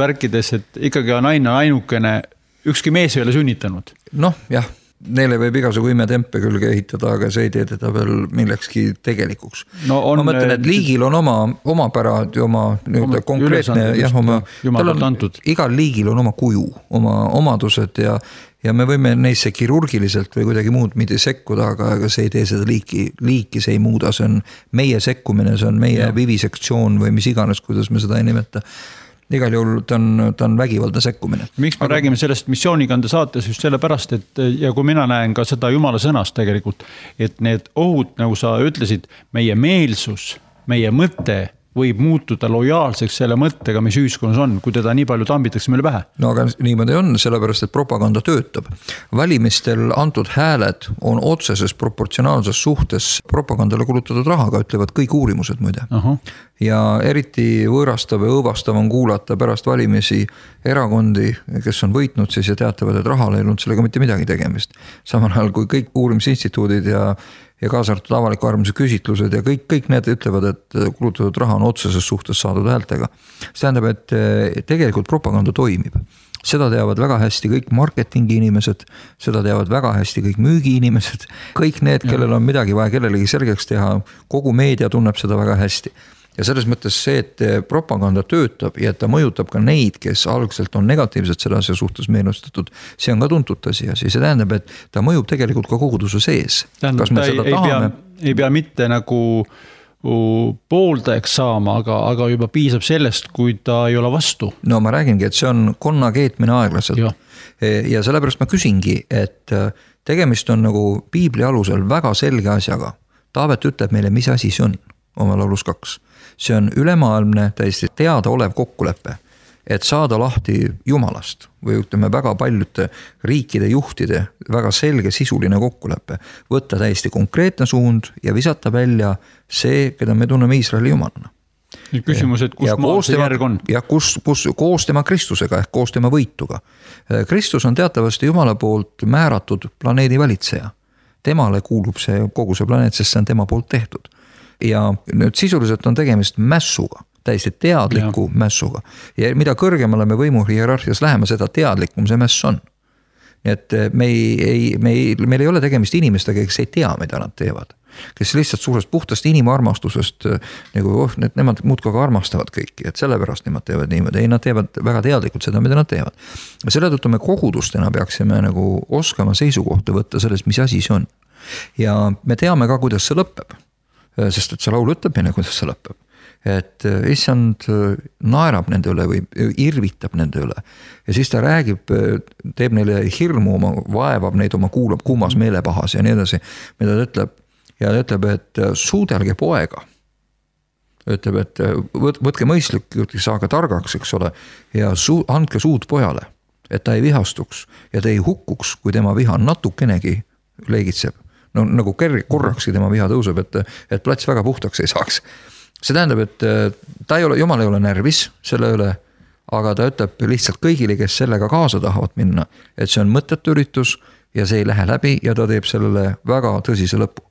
värkides, et ikkagi on naine ainukene, ükski mees ei ole sünnitanud. Noh, jah, neile võib igasugu imetempe külge ehitada, aga see ei tee teda veel millekski tegelikuks. No on, ma mõtlen, et liigil on oma, oma pärad ja oma, oma konkreetne, jah, oma, on, igal liigil on oma kuju, oma omadused ja, ja me võime neisse kirurgiliselt või kuidagi muud mitte sekkuda, aga, aga see ei tee seda liiki, liiki see ei muuda, see on meie sekkumine, see on meie ja. vivisektsioon või mis iganes, kuidas me seda ei nimeta. Igal juhul ta on, ta on vägivalda sekkumine. Miks me Aga... räägime sellest missioonikande saates just sellepärast, et ja kui mina näen ka seda Jumala sõnast tegelikult, et need ohud, nagu sa ütlesid, meie meelsus, meie mõte võib muutuda lojaalseks selle mõttega, mis ühiskonnas on, kui teda nii palju tambitakse meile pähe. No aga niimoodi on, sellepärast, et propaganda töötab. Valimistel antud hääled on otseses proportsionaalses suhtes propagandale kulutatud rahaga, ütlevad kõik uurimused muide. Aha. Ja eriti võõrastav ja õõvastav on kuulata pärast valimisi erakondi, kes on võitnud siis ja teatavad, et rahal ei olnud sellega mitte midagi tegemist. Samal ajal kui kõik uurimisinstituudid ja ja kaasartud avaliku arvamuse küsitlused ja kõik, kõik need ütlevad, et kulutatud raha on otseses suhtes saadud häältega. See tähendab, et tegelikult propaganda toimib. Seda teavad väga hästi kõik marketingi inimesed, seda teavad väga hästi kõik müügi inimesed, kõik need, kellel on midagi vaja kellelegi selgeks teha, kogu meedia tunneb seda väga hästi. Ja selles mõttes see, et propaganda töötab ja et ta mõjutab ka neid, kes algselt on negatiivselt selle asja suhtes meelustatud, see on ka tuntud tõsiasi. See tähendab, et ta mõjub tegelikult ka koguduse sees. Tähendab, ta ei, ei, pea, ei pea mitte nagu pooldajaks saama, aga, aga juba piisab sellest, kui ta ei ole vastu. No ma räägingi, et see on konna keetmine aeglaselt. Ja, ja sellepärast ma küsingi, et tegemist on nagu piibli alusel väga selge asjaga. Taavet ütleb meile, mis asi see on oma laulus kaks. See on ülemaailmne täiesti teada olev kokkulepe, et saada lahti Jumalast või ütleme väga paljude riikide juhtide väga selge sisuline kokkulepe, võtta täiesti konkreetne suund ja visata välja see, keda me tunneme Iisraeli Jumalana. Küsimus, et kus maal see järg on? Ja kus, kus, koos tema Kristusega ehk koos tema võituga. Kristus on teatavasti Jumala poolt määratud planeedi valitseja. Temale kuulub see kogu see planeet, sest see on tema poolt tehtud. Ja nüüd sisuliselt on tegemist mässuga, täiesti teadliku ja. mässuga. Ja mida kõrgemale me võimu hierarhias läheme, seda teadlikum see mäss on. nii et me ei, ei, me ei, meil ei ole tegemist inimestega, kes ei tea, mida nad teevad. Kes lihtsalt suurest puhtast inimarmastusest nagu oh, need, nemad muudkui ka armastavad kõiki, et sellepärast nemad teevad niimoodi. Ei, nad teevad väga teadlikult seda, mida nad teevad. Ja selle tõttu me kogudustena peaksime nagu oskama seisukohta võtta sellest, mis asi see on. Ja me teame ka, kuidas see lõpeb. Sest et see laul ütleb meile, kuidas see lõpeb. Et issand naerab nende üle või irvitab nende üle. Ja siis ta räägib, teeb neile hirmu, oma, vaevab neid oma kuulab kuumas meelepahas ja nii edasi, mida ta ütleb. Ja ta ütleb, et suudelge poega. Ütleb, et võtke mõistlik, saaga targaks, eks ole, ja su, andke suud pojale, et ta ei vihastuks ja ta ei hukkuks, kui tema viha natukenegi leegitseb. No nagu korrakski tema viha tõuseb, et, et plats väga puhtaks ei saaks. See tähendab, et ta ei ole, jumal ei ole närvis selle üle, aga ta ütleb lihtsalt kõigile, kes sellega kaasa tahavad minna, et see on mõttetu üritus ja see ei lähe läbi ja ta teeb sellele väga tõsise lõpu.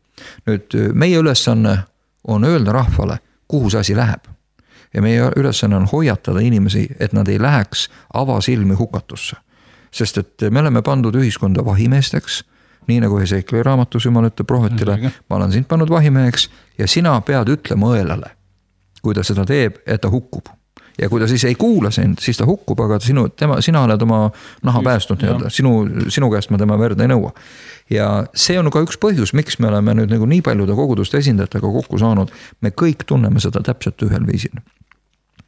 Nüüd meie ülesanne on öelda rahvale, kuhu see asi läheb. Ja meie ülesanne on hoiatada inimesi, et nad ei läheks avasilmi hukatusse. Sest et me oleme pandud ühiskonda vahimeesteks, nii nagu Hesekieli raamatus jumal ütleb prohvetile, ma olen sind pannud vahimeheks ja sina pead ütlema õelale, kui ta seda teeb, et ta hukkub. Ja kui ta siis ei kuula sind, siis ta hukkub, aga sinu, tema, sina oled oma naha päästnud, sinu, sinu käest ma tema verd ei nõua. Ja see on ka üks põhjus, miks me oleme nüüd nagu nii paljude koguduste esindajatega kokku saanud, me kõik tunneme seda täpselt ühel viisil.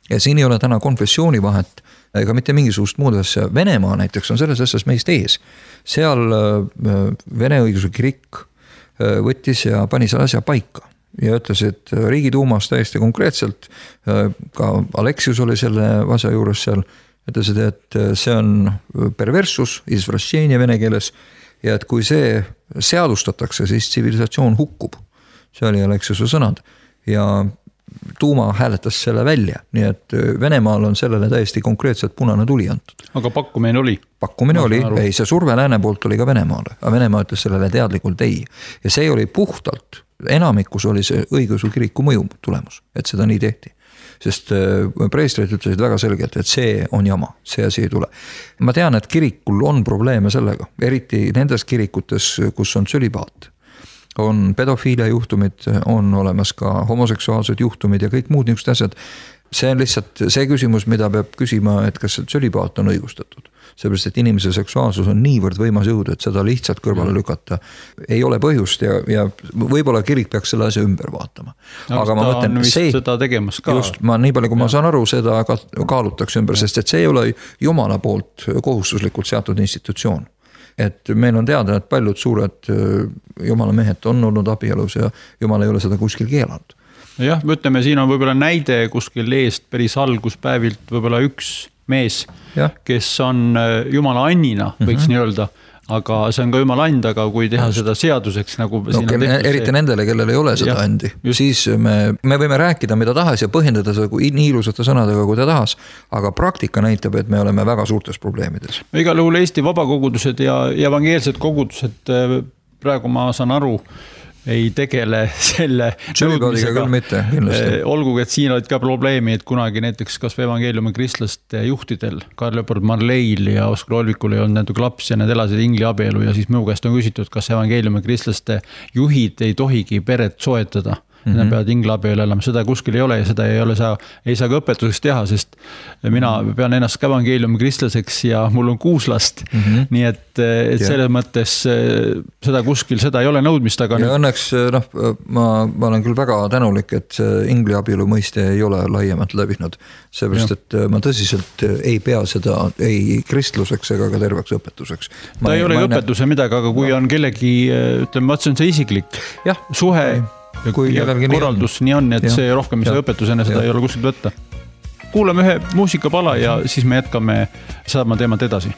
Ja siin ei ole täna konfessiooni vahet, ega mitte mingisugust muud asja. Venemaa näiteks on selles asjas meist ees. Seal Vene õigeusu kirik võttis ja pani selle asja paika. Ja ütles, et Riigiduumas täiesti konkreetselt, ka Aleksius oli selle asja juures seal, ütles, et see on perversus, izvrashčenie vene keeles, ja et kui see seadustatakse, siis tsivilisatsioon hukkub. See oli Aleksiuse sõnad. Ja Duuma hääletas selle välja, nii et Venemaal on sellele täiesti konkreetselt punane tuli antud. Aga pakkumine oli? Pakkumine oli, ei, see surve lääne poolt oli ka Venemaale, aga Venemaa ütles sellele teadlikult ei. Ja see oli puhtalt, enamikus oli see õigeusu kiriku mõju tulemus, et seda nii tehti. Sest preestrid ütlesid väga selgelt, et see on jama, see asi ei tule. Ma tean, et kirikul on probleeme sellega, eriti nendes kirikutes, kus on tsölibaat. On pedofiilia juhtumid, on olemas ka homoseksuaalsed juhtumid ja kõik muud niisugused asjad. See on lihtsalt see küsimus, mida peab küsima, et kas tsölibaat on õigustatud. Seepärast, et inimese seksuaalsus on niivõrd võimas jõud, et seda lihtsalt kõrvale lükata ei ole põhjust ja, ja võib-olla kirik peaks selle asja ümber vaatama. Aga, aga ma mõtlen, see, seda tegemas ka. Just, ma nii palju, kui ma saan aru, seda kaalutakse ümber, sest et see ei ole Jumala poolt kohustuslikult seatud institutsioon. Et meil on teada, et paljud suured Jumala mehed on olnud abielus ja Jumal ei ole seda kuskil keelanud. Jah, me ütleme, siin on võib-olla näide kuskil eest päris alguspäevilt võib-olla üks mees, ja. Kes on Jumala annina, võiks mm-hmm. nii öelda, aga see on ka Jumala and, aga kui teha Just. Seda seaduseks nagu no, siin on tehtud eriti see... nendele, kellel ei ole seda ja, andi, just. Siis me, me võime rääkida mida tahas ja põhjendada seda kui nii ilusate sõnadega, kui ta tahas, aga praktika näitab, et me oleme väga suurtes probleemides. Igal juhul Eesti vabakogudused ja evangeelsed kogudused, praegu ma saan aru, ei tegele selle nõudmisega, mitte, olgugi, et siin olid ka probleemi, et kunagi näiteks kas evangeeliumi kristlaste juhtidel Karl Leopold Marleil ja Oskar Olvikul ei olnud nende laps ja need elasid ingli abielu ja siis minu käest on küsitud, kas evangeeliumi kristlaste juhid ei tohigi peret soetada. Mm-hmm. Nad peavad ingli abielu elama, seda kuskil ei ole ja seda ei ole saa, ei saa ka õpetuseks teha, sest mina pean ennast ka evangeeliumi kristlaseks ja mul on kuus last. Mm-hmm. Nii et, et selles mõttes seda kuskil, seda ei ole nõudmist, aga... Ja õnneks, noh, ma, ma olen küll väga tänulik, et ingli abielu mõiste ei ole laiemalt läbinud. Seepärast, et ma tõsiselt ei pea seda ei kristluseks ega ka terveks õpetuseks. Ta ei ole õpetuse näe... midagi, aga kui no. on kellegi, ütleme, ma see on see isiklik ja, suhe... Okay. Kui ja korraldus nii on, et ja, see rohkem see õpetusena seda ja. Ei ole kuskilt võtta. Kuulame ühe muusikapala ja siis me jätkame saama teemat edasi.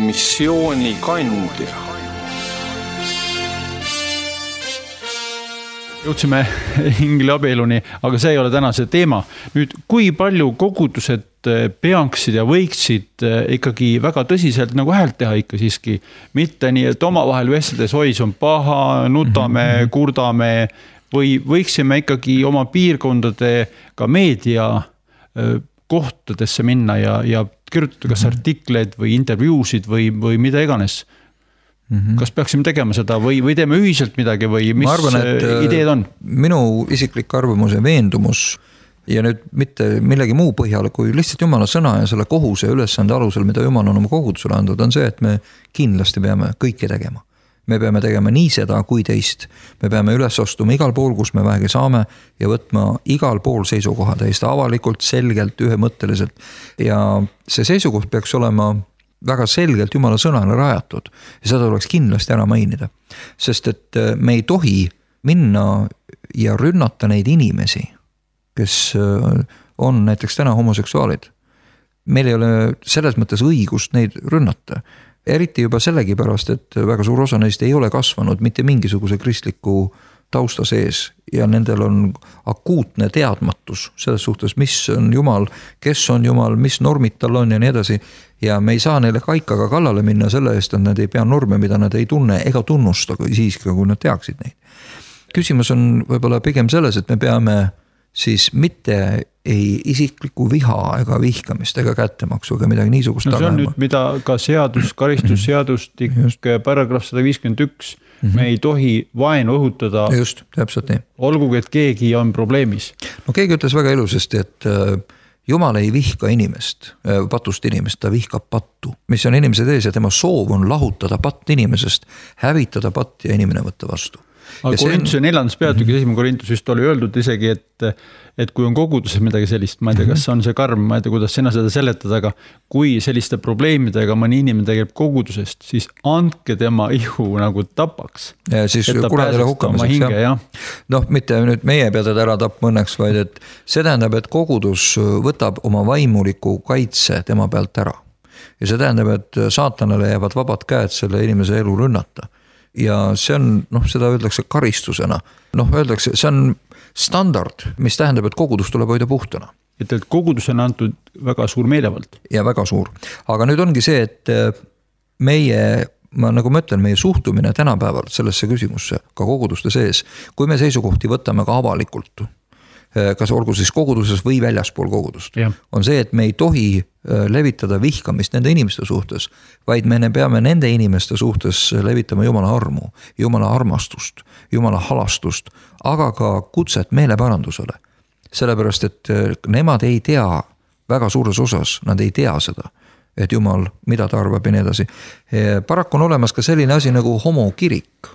missioonikandja. Jõudsime ingleabieluni, aga see ei ole täna see teema. Nüüd, kui palju kogudused peaksid ja võiksid ikkagi väga tõsiselt nagu häält teha ikka siiski, mitte nii, et omavahel vestledes hois on paha, nutame, mm-hmm. kurdame või võiksime ikkagi oma piirkondade ka meedia kohtadesse minna ja, ja kirjutada kas artikleid või intervjuusid või, või mida iganes. Mm-hmm. Kas peaksime tegema seda või, või teeme ühiselt midagi või mis arvan, ideed on? Minu isiklik arvamus ja veendumus ja nüüd mitte millegi muu põhjal, kui lihtsalt Jumala sõna ja selle kohuse ülesande alusel, mida Jumal on oma kogudusele andnud, on see, et me kindlasti peame kõike tegema. Me peame tegema nii seda kui teist. Me peame üles astuma igal pool, kus me vähegi saame ja võtma igal pool seisukoha täiesti avalikult, selgelt, ühemõtteliselt. Ja see seisukoht peaks olema väga selgelt Jumala sõnale rajatud ja seda tuleks kindlasti ära mainida. Sest et me ei tohi minna ja rünnata neid inimesi, kes on näiteks täna homoseksuaalid. Meil ei ole selles mõttes õigust neid rünnata. Eriti juba sellegi pärast, et väga suur osa neist ei ole kasvanud mitte mingisuguse kristliku tausta sees ja nendel on akuutne teadmatus selles suhtes, mis on Jumal, kes on Jumal, mis normid tal on ja nii edasi. Ja me ei saa neile kaikaga kallale minna selle eest, et nad ei pea norme, mida nad ei tunne ega tunnusta siiski, kui nad teaksid neid. Küsimus on võib-olla pigem selles, et me peame siis mitte ei isikliku viha ega vihkamist ega kättemaksu ega midagi niisugust. No see on nüüd, mida ka seadus, karistusseadustik, paragrahv sada viiskümmend üks, mm-hmm. me ei tohi vaenu õhutada. Just, täpselt nii. Olgugi, et keegi on probleemis. No keegi ütles väga ilusasti, et Jumal ei vihka inimest, patust inimest, ta vihkab pattu, mis on inimese tees ja tema soov on lahutada patt inimesest, hävitada patt ja inimene võtta vastu. Aga Korintuse neljandas peatükis, esimene Korintus just oli öeldud isegi, et, et kui on koguduses midagi sellist, ma ei tea, kas on see karm, ma ei tea, kuidas sina seda seletada, aga kui selliste probleemidega mõni inimene tegeleb kogudusest, siis andke tema ihu nagu tapaks. Ja siis kuradele hukkamiseks. Ja. Noh, mitte nüüd meie pead ära tapma õnneks, vaid et see tähendab, et kogudus võtab oma vaimuliku kaitse tema pealt ära. Ja see tähendab, et saatanale jäävad vabad käed selle inimese elu rünnata. Ja see on, noh, seda öeldakse karistusena. Noh, öeldakse, see on standard, mis tähendab, et kogudus tuleb hoida puhtana. Et, et kogudus on antud väga suur meelevald. Ja väga suur. Aga nüüd ongi see, et meie, ma nagu ma ütlen, meie suhtumine tänapäeval sellesse küsimusse, ka koguduste sees, kui me seisukohti võtame ka avalikult, kas olgu siis koguduses või väljaspool kogudust, ja. On see, et me ei tohi levitada vihkamist nende inimeste suhtes, vaid me peame nende inimeste suhtes levitama Jumala armu, Jumala armastust, Jumala halastust, aga ka kutset meeleparandusele. Sellepärast, et nemad ei tea väga suures osas, nad ei tea seda, et Jumal, mida ta arvab ja nii edasi. Paraku on olemas ka selline asi nagu homokirik.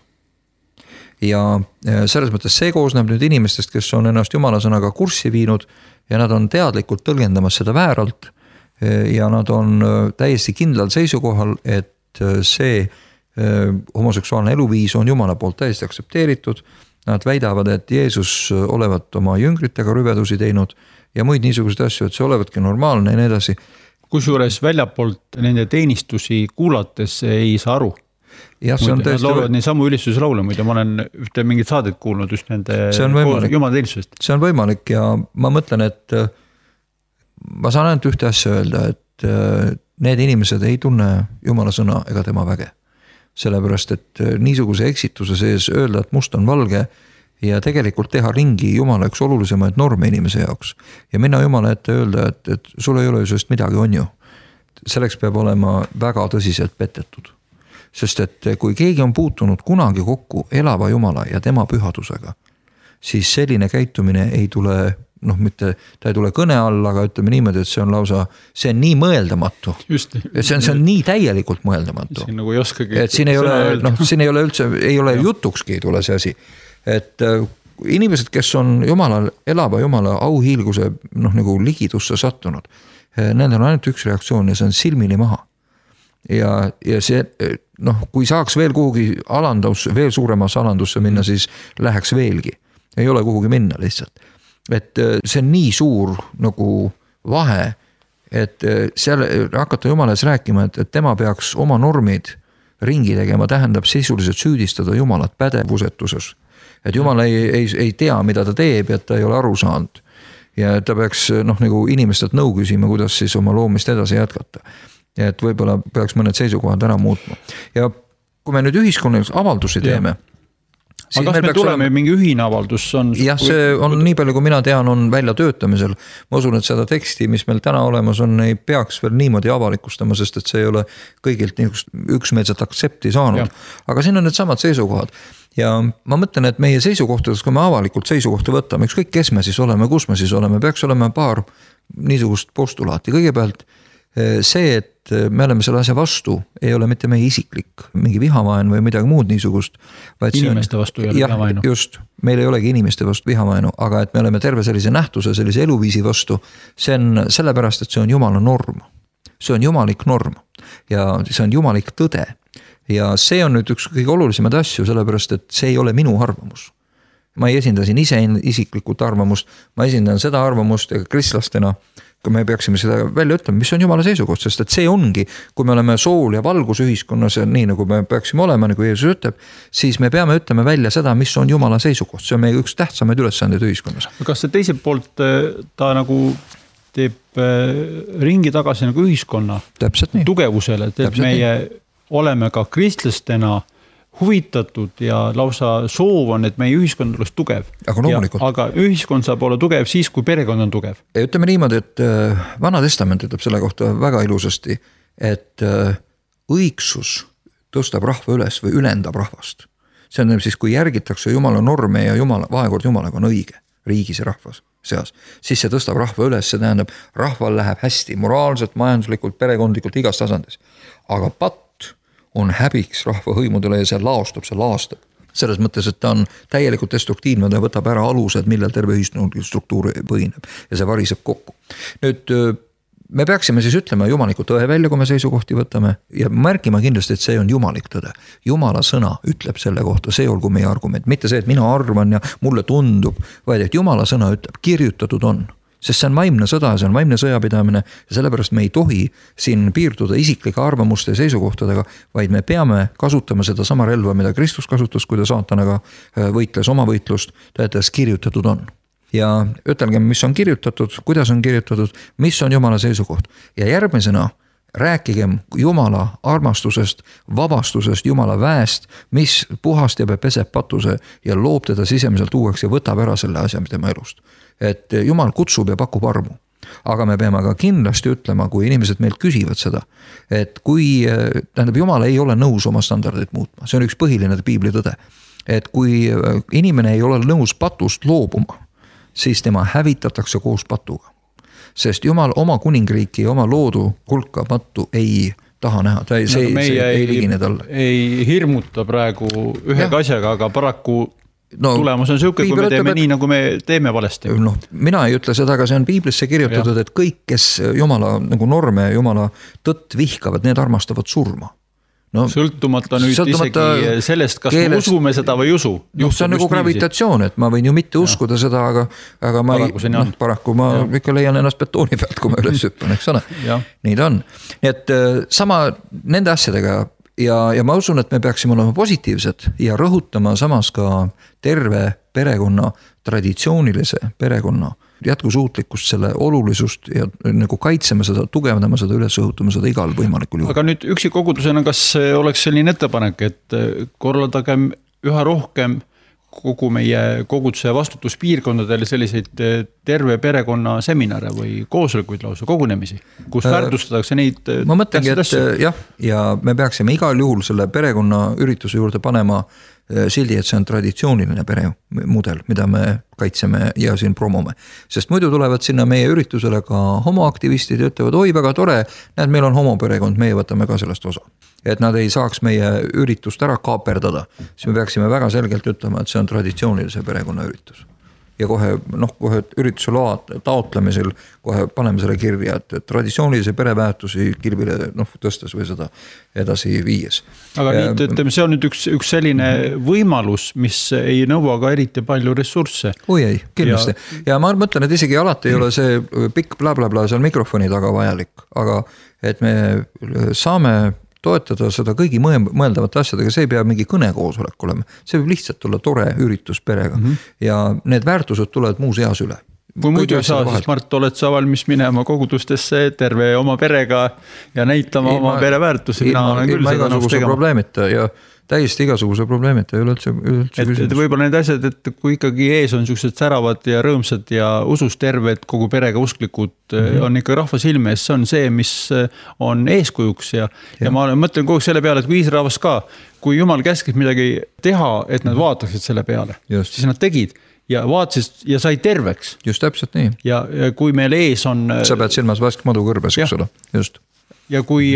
Ja selles mõttes see koosneb nüüd inimestest, kes on ennast Jumala sõnaga kurssi viinud ja nad on teadlikult tõlgendamas seda vääralt ja nad on täiesti kindlal seisukohal, et see homoseksuaalne eluviis on Jumala poolt täiesti aksepteeritud. Nad väidavad, et Jeesus olevat oma jüngritega rüvedusi teinud ja muid niisuguseid asju, et see olevatki normaalne ja nii edasi. Kusjuures väljapoolt nende teenistusi kuulates ei saa aru. Ja, see on muide, nad laulavad nii samu ülistuse laule, muide ma olen ühte mingit saadet kuulnud just nende Jumala teenistusest. See on võimalik ja ma mõtlen, et ma saan ainult ühte asja öelda, et need inimesed ei tunne Jumala sõna ega tema väge. Sellepärast, et niisuguse eksituse sees öelda, et must on valge ja tegelikult teha ringi Jumala üks olulisemaid norme inimese jaoks. Ja minna Jumala ette öelda, et, et sul ei ole ju sest midagi on ju. Selleks peab olema väga tõsiselt petetud. Sest et kui keegi on puutunud kunagi kokku elava Jumala ja tema pühadusega, siis selline käitumine ei tule, noh mitte, ta ei tule kõne all, aga ütleme niimoodi, et see on lausa, see on nii mõeldamatu. Just. See on, see on nii täielikult mõeldamatu. Siin nagu ei oskagi. Et siin ei ole, noh, siin ei ole üldse, ei ole jutukski ei tule see asi. Et inimesed, kes on Jumala, elava Jumala auhiilguse, noh nagu ligidusse sattunud, nendel on ainult üks reaktsioon ja see on silmini maha. Ja, ja see, noh, kui saaks veel kuhugi alandus, veel suuremasse alandusse minna, siis läheks veelgi. Ei ole kuhugi minna lihtsalt. Et see on nii suur nagu vahe, et seal hakata Jumala ees rääkima, et, et tema peaks oma normid ringi tegema, tähendab sisuliselt süüdistada Jumalat pädevusetuses. Et Jumal ei, ei, ei tea, mida ta teeb, et ta ei ole aru saanud. Ja ta peaks noh, nagu inimestelt nõu küsima, kuidas siis oma loomist edasi jätkata. Et võib-olla peaks mõned seisukohad ära muutma. Ja kui me nüüd ühiskonnales avaldusi teeme, aga kas me tuleme olema... mingi ühine avaldus? On... jah, see on nii palju, kui mina tean, on välja töötamisel. Ma usun, et seda teksti, mis meil täna olemas on, ei peaks veel niimoodi avalikustama, sest et see ei ole kõigilt üksmeelset aktsepti saanud. Ja. Aga siin on need samad seisukohad. Ja ma mõtlen, et meie seisukohtades, kui me avalikult seisukohta võtame, ükskõik kes me siis oleme, kus me siis oleme, peaks olema paar niisugust postulaati. Kõigepealt see, et me oleme selle asja vastu, ei ole mitte meie isiklik, mingi vihavaen või midagi muud niisugust. Inimeste vastu ei ole jah, vihavaenu. Just, meil ei olegi inimeste vastu vihavaenu, aga et me oleme terve sellise nähtuse, sellise eluviisi vastu, see on sellepärast, et see on Jumala norm. See on jumalik norm ja see on jumalik tõde. Ja see on nüüd üks kõige olulisemad asju, sellepärast, et see ei ole minu arvamus. Ma ei esinda siin ise isiklikult arvamust, ma esindan seda arvamust ja kristlastena, kui me peaksime seda välja ütlema, mis on Jumala seisukoht, sest et see ongi, kui me oleme sool ja valgus ühiskonnas ja nii nagu me peaksime olema, nagu Jeesus ütleb, siis me peame ütlema välja seda, mis on Jumala seisukoht. See on meie üks tähtsamaid ülesandeid ühiskonnas. Kas see teiselt poolt ta nagu teeb ringi tagasi nagu ühiskonna tugevusele, et Täpselt meie nii. Oleme ka kristlastena huvitatud ja lausa soov on, et meie ühiskond oleks tugev. Aga loomulikult. Aga ühiskond saab olla tugev siis, kui perekond on tugev. Ja ütleme niimoodi, et Vana Testament ütleb selle kohta väga ilusasti, et õigsus tõstab rahva üles või ülendab rahvast. See on siis, kui järgitakse Jumala norme ja Jumala, vahekord Jumalaga on õige riigis ja rahvas seas, siis see tõstab rahva üles, see tähendab, rahval läheb hästi moraalselt, majanduslikult, perekondlikult, igas tasandis. Aga patt on häbiks rahva hõimudele ja see laostub, see laastab. Selles mõttes, et ta on täielikult destruktiivne, ta võtab ära alused, millel terve ühiskondlik struktuur põhineb ja see variseb kokku. Nüüd me peaksime siis ütlema jumaliku tõe välja, kui me seisukohti võtame ja märkima kindlasti, et see on jumalik tõde. Jumala sõna ütleb selle kohta, see olgu meie argument, mitte see, et mina arvan ja mulle tundub, vaid et Jumala sõna ütleb, kirjutatud on. Sest see on vaimne sõda, see on vaimne sõjapidamine ja sellepärast me ei tohi siin piirduda isiklike arvamuste ja seisukohtadega, vaid me peame kasutama seda sama relva, mida Kristus kasutas, kui ta saatanaga võitles oma võitlust, ta ütles, kirjutatud on. Ja ütelgem, mis on kirjutatud, kuidas on kirjutatud, mis on Jumala seisukoht. Ja järgmisena rääkigem Jumala armastusest, vabastusest, Jumala väest, mis puhastab ja peseb patuse ja loob teda sisemiselt uueks ja võtab ära selle asja tema elust. Et Jumal kutsub ja pakub armu. Aga me peame ka kindlasti ütlema, kui inimesed meilt küsivad seda, et kui, tähendab, Jumal ei ole nõus oma standardit muutma. See on üks põhiline piibli tõde. Et kui inimene ei ole nõus patust loobuma, siis tema hävitatakse koos patuga. Sest Jumal oma kuningriiki ja oma loodu hulka pattu ei taha näha. Ta ei, see, no, see ei, ei ligine talle. Ei hirmuta praegu ühe asjaga, aga paraku no, tulemus on siuke, kui me teeme et... nii, nagu me teeme valesti. No, mina ei ütle seda, aga see on piiblisse kirjutatud, ja. Et kõik, kes Jumala nagu norme ja Jumala tõtt vihkavad, need armastavad surma. No, sõltumata nüüd sõltumata isegi sellest, kas keelest, me usume seda või ei usu. No, see on nagu gravitatsioon, et ma võin ju mitte uskuda ja. Seda, aga, aga ma paraku, ei, no, paraku ma ja. Ikka leian ennast betooni pealt, kui ma üles hüppan, eks ole. Nii ta on. Nii et sama nende asjadega ja, ja ma usun, et me peaksime olema positiivsed ja rõhutama samas ka terve perekonna, traditsioonilise perekonna jätkusuutlikkust, selle olulisust ja nagu kaitseme seda, tugevdama seda, üles õhutama seda igal võimalikul juhul. Aga nüüd üksi kogudusena, kas oleks selline ettepanek, et korraldagem üha rohkem kogu meie koguduse vastutuspiirkondadele selliseid terve perekonna seminare või koosolekuid lausa kogunemisi, kus äh, väärtustatakse neid ma mõtlengi, et jah, ja me peaksime igal juhul selle perekonna ürituse juurde panema sildi, et see on traditsiooniline peremudel, mida me kaitseme ja siin promome. Sest muidu tulevad sinna meie üritusele ka homoaktivistid ja ütlevad, oi väga tore, näed, meil on homoperekond, meie võtame ka sellest osa. Et nad ei saaks meie üritust ära kaaperdada, siis me peaksime väga selgelt ütlema, et see on traditsioonilise perekonna üritus. ja kohe noh, kohe ürituse loa taotlemisel kohe paneme selle kirja, et traditsioonilise pereväärtusi kilbile noh, tõstes või seda edasi viies. Aga ja, nii, ütleme, see on nüüd üks, üks selline võimalus, mis ei nõua ka eriti palju ressursse. Oi ei, kindlasti. Ja, ja ma mõtlen, et isegi alati ei ole see pikk bla bla bla seal mikrofoni taga vajalik, aga et me saame toetada seda kõigi mõeldavate asjadega, see ei pea mingi kõnekoosolek olema, see võib lihtsalt olla tore üritus perega mm -hmm. ja need väärtused tulevad muus eas üle. Kui muidu ei saa, siis Mart, oled sa valmis minema kogudustesse terve oma perega ja näitama ilma, oma pereväärtusi, mina olen küll seda nõus tegema. Probleemita ja täiesti igasuguse probleemita ei ole üldse, üldse et, et võib-olla need asjad, et kui ikkagi ees on sellised säravad ja rõõmsad ja usus terved kogu perega usklikud mm -hmm. on ikka rahva silme ees, see on see, mis on eeskujuks ja, ja. ja ma mõtlen kogu selle peale, et kui Iisraelas ka, kui Jumal käskis midagi teha, et nad vaataksid selle peale, Just. siis nad tegid ja vaatasid ja sai terveks. Just täpselt nii. Ja, ja kui meil ees on... Sa pead silmas vask madu kõrbes, eks ole. Just. Ja kui,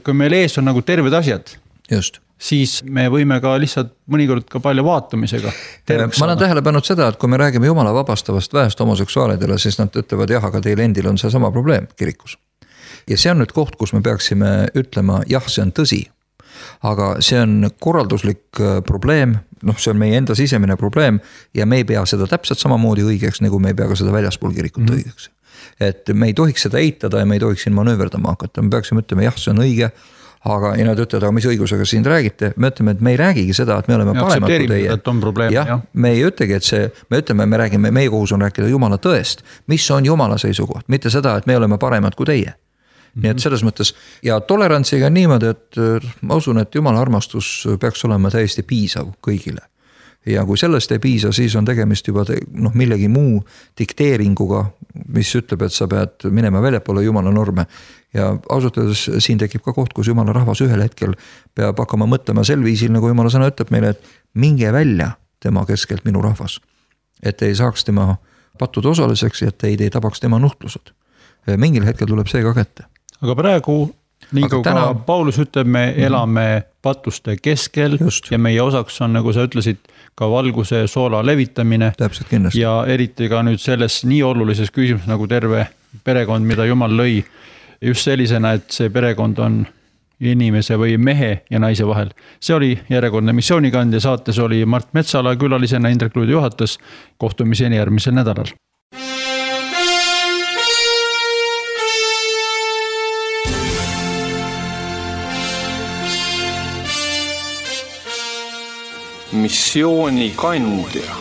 kui meil ees on nagu terved asjad, Just. siis me võime ka lihtsalt mõnikord ka palju vaatamisega. Ma olen tähele pannud seda, et kui me räägime Jumala vabastavast väest homoseksuaalidele, siis nad ütlevad jah, aga teil endil on see sama probleem kirikus. Ja see on nüüd koht, kus me peaksime ütlema, jah, see on tõsi. Aga see on korralduslik probleem, noh, see on meie enda sisemine probleem ja me ei pea seda täpselt samamoodi õigeks, nagu me ei pea ka seda väljaspool kirikut mm. õigeks. Et me ei tohiks seda eitada ja me ei tohiks siin manööverdama hakata, me peaksime ütlema, jah, see on õige, aga ja nad ütlevad, aga mis õigusega siin räägite, me ütleme, et me ei räägigi seda, et me oleme ja, paremad kui teie. Probleem, jah, jah, me ei ütlegi, et see, me ütleme, me räägime, meie kohus on rääkida Jumala tõest, mis on Jumala seisukoht, mitte seda, et me oleme paremad kui teie. Nii et selles mõttes ja tolerantsiga niimoodi, et ma usun, et Jumala armastus peaks olema täiesti piisav kõigile. Ja kui sellest ei piisa, siis on tegemist juba te, noh, millegi muu dikteeringuga, mis ütleb, et sa pead minema väljapoole Jumala norme. Ja ausalt öeldes siin tekib ka koht, kus Jumala rahvas ühel hetkel peab hakkama mõtlema sel viisil, nagu Jumala sõna ütleb meile, et minge välja tema keskelt minu rahvas. Et ei saaks tema pattude osaliseks ja et ei, ei tabaks tema nuhtlused. Mingil hetkel tuleb see ka kätte. Aga praegu, nii kui täna... ka Paulus ütleb, me elame patuste keskel Just. Ja meie osaks on, nagu sa ütlesid, ka valguse soola levitamine. Täpselt kindlasti. Ja eriti ka nüüd selles nii olulises küsimus nagu terve perekond, mida Jumal lõi. Just sellisena, et see perekond on inimese või mehe ja naise vahel. See oli järjekordne missioonikandja, saates oli Mart Metsala külalisena, Indrek Luudi juhatas, kohtumiseni järgmisel nädalal. Missioonikandja.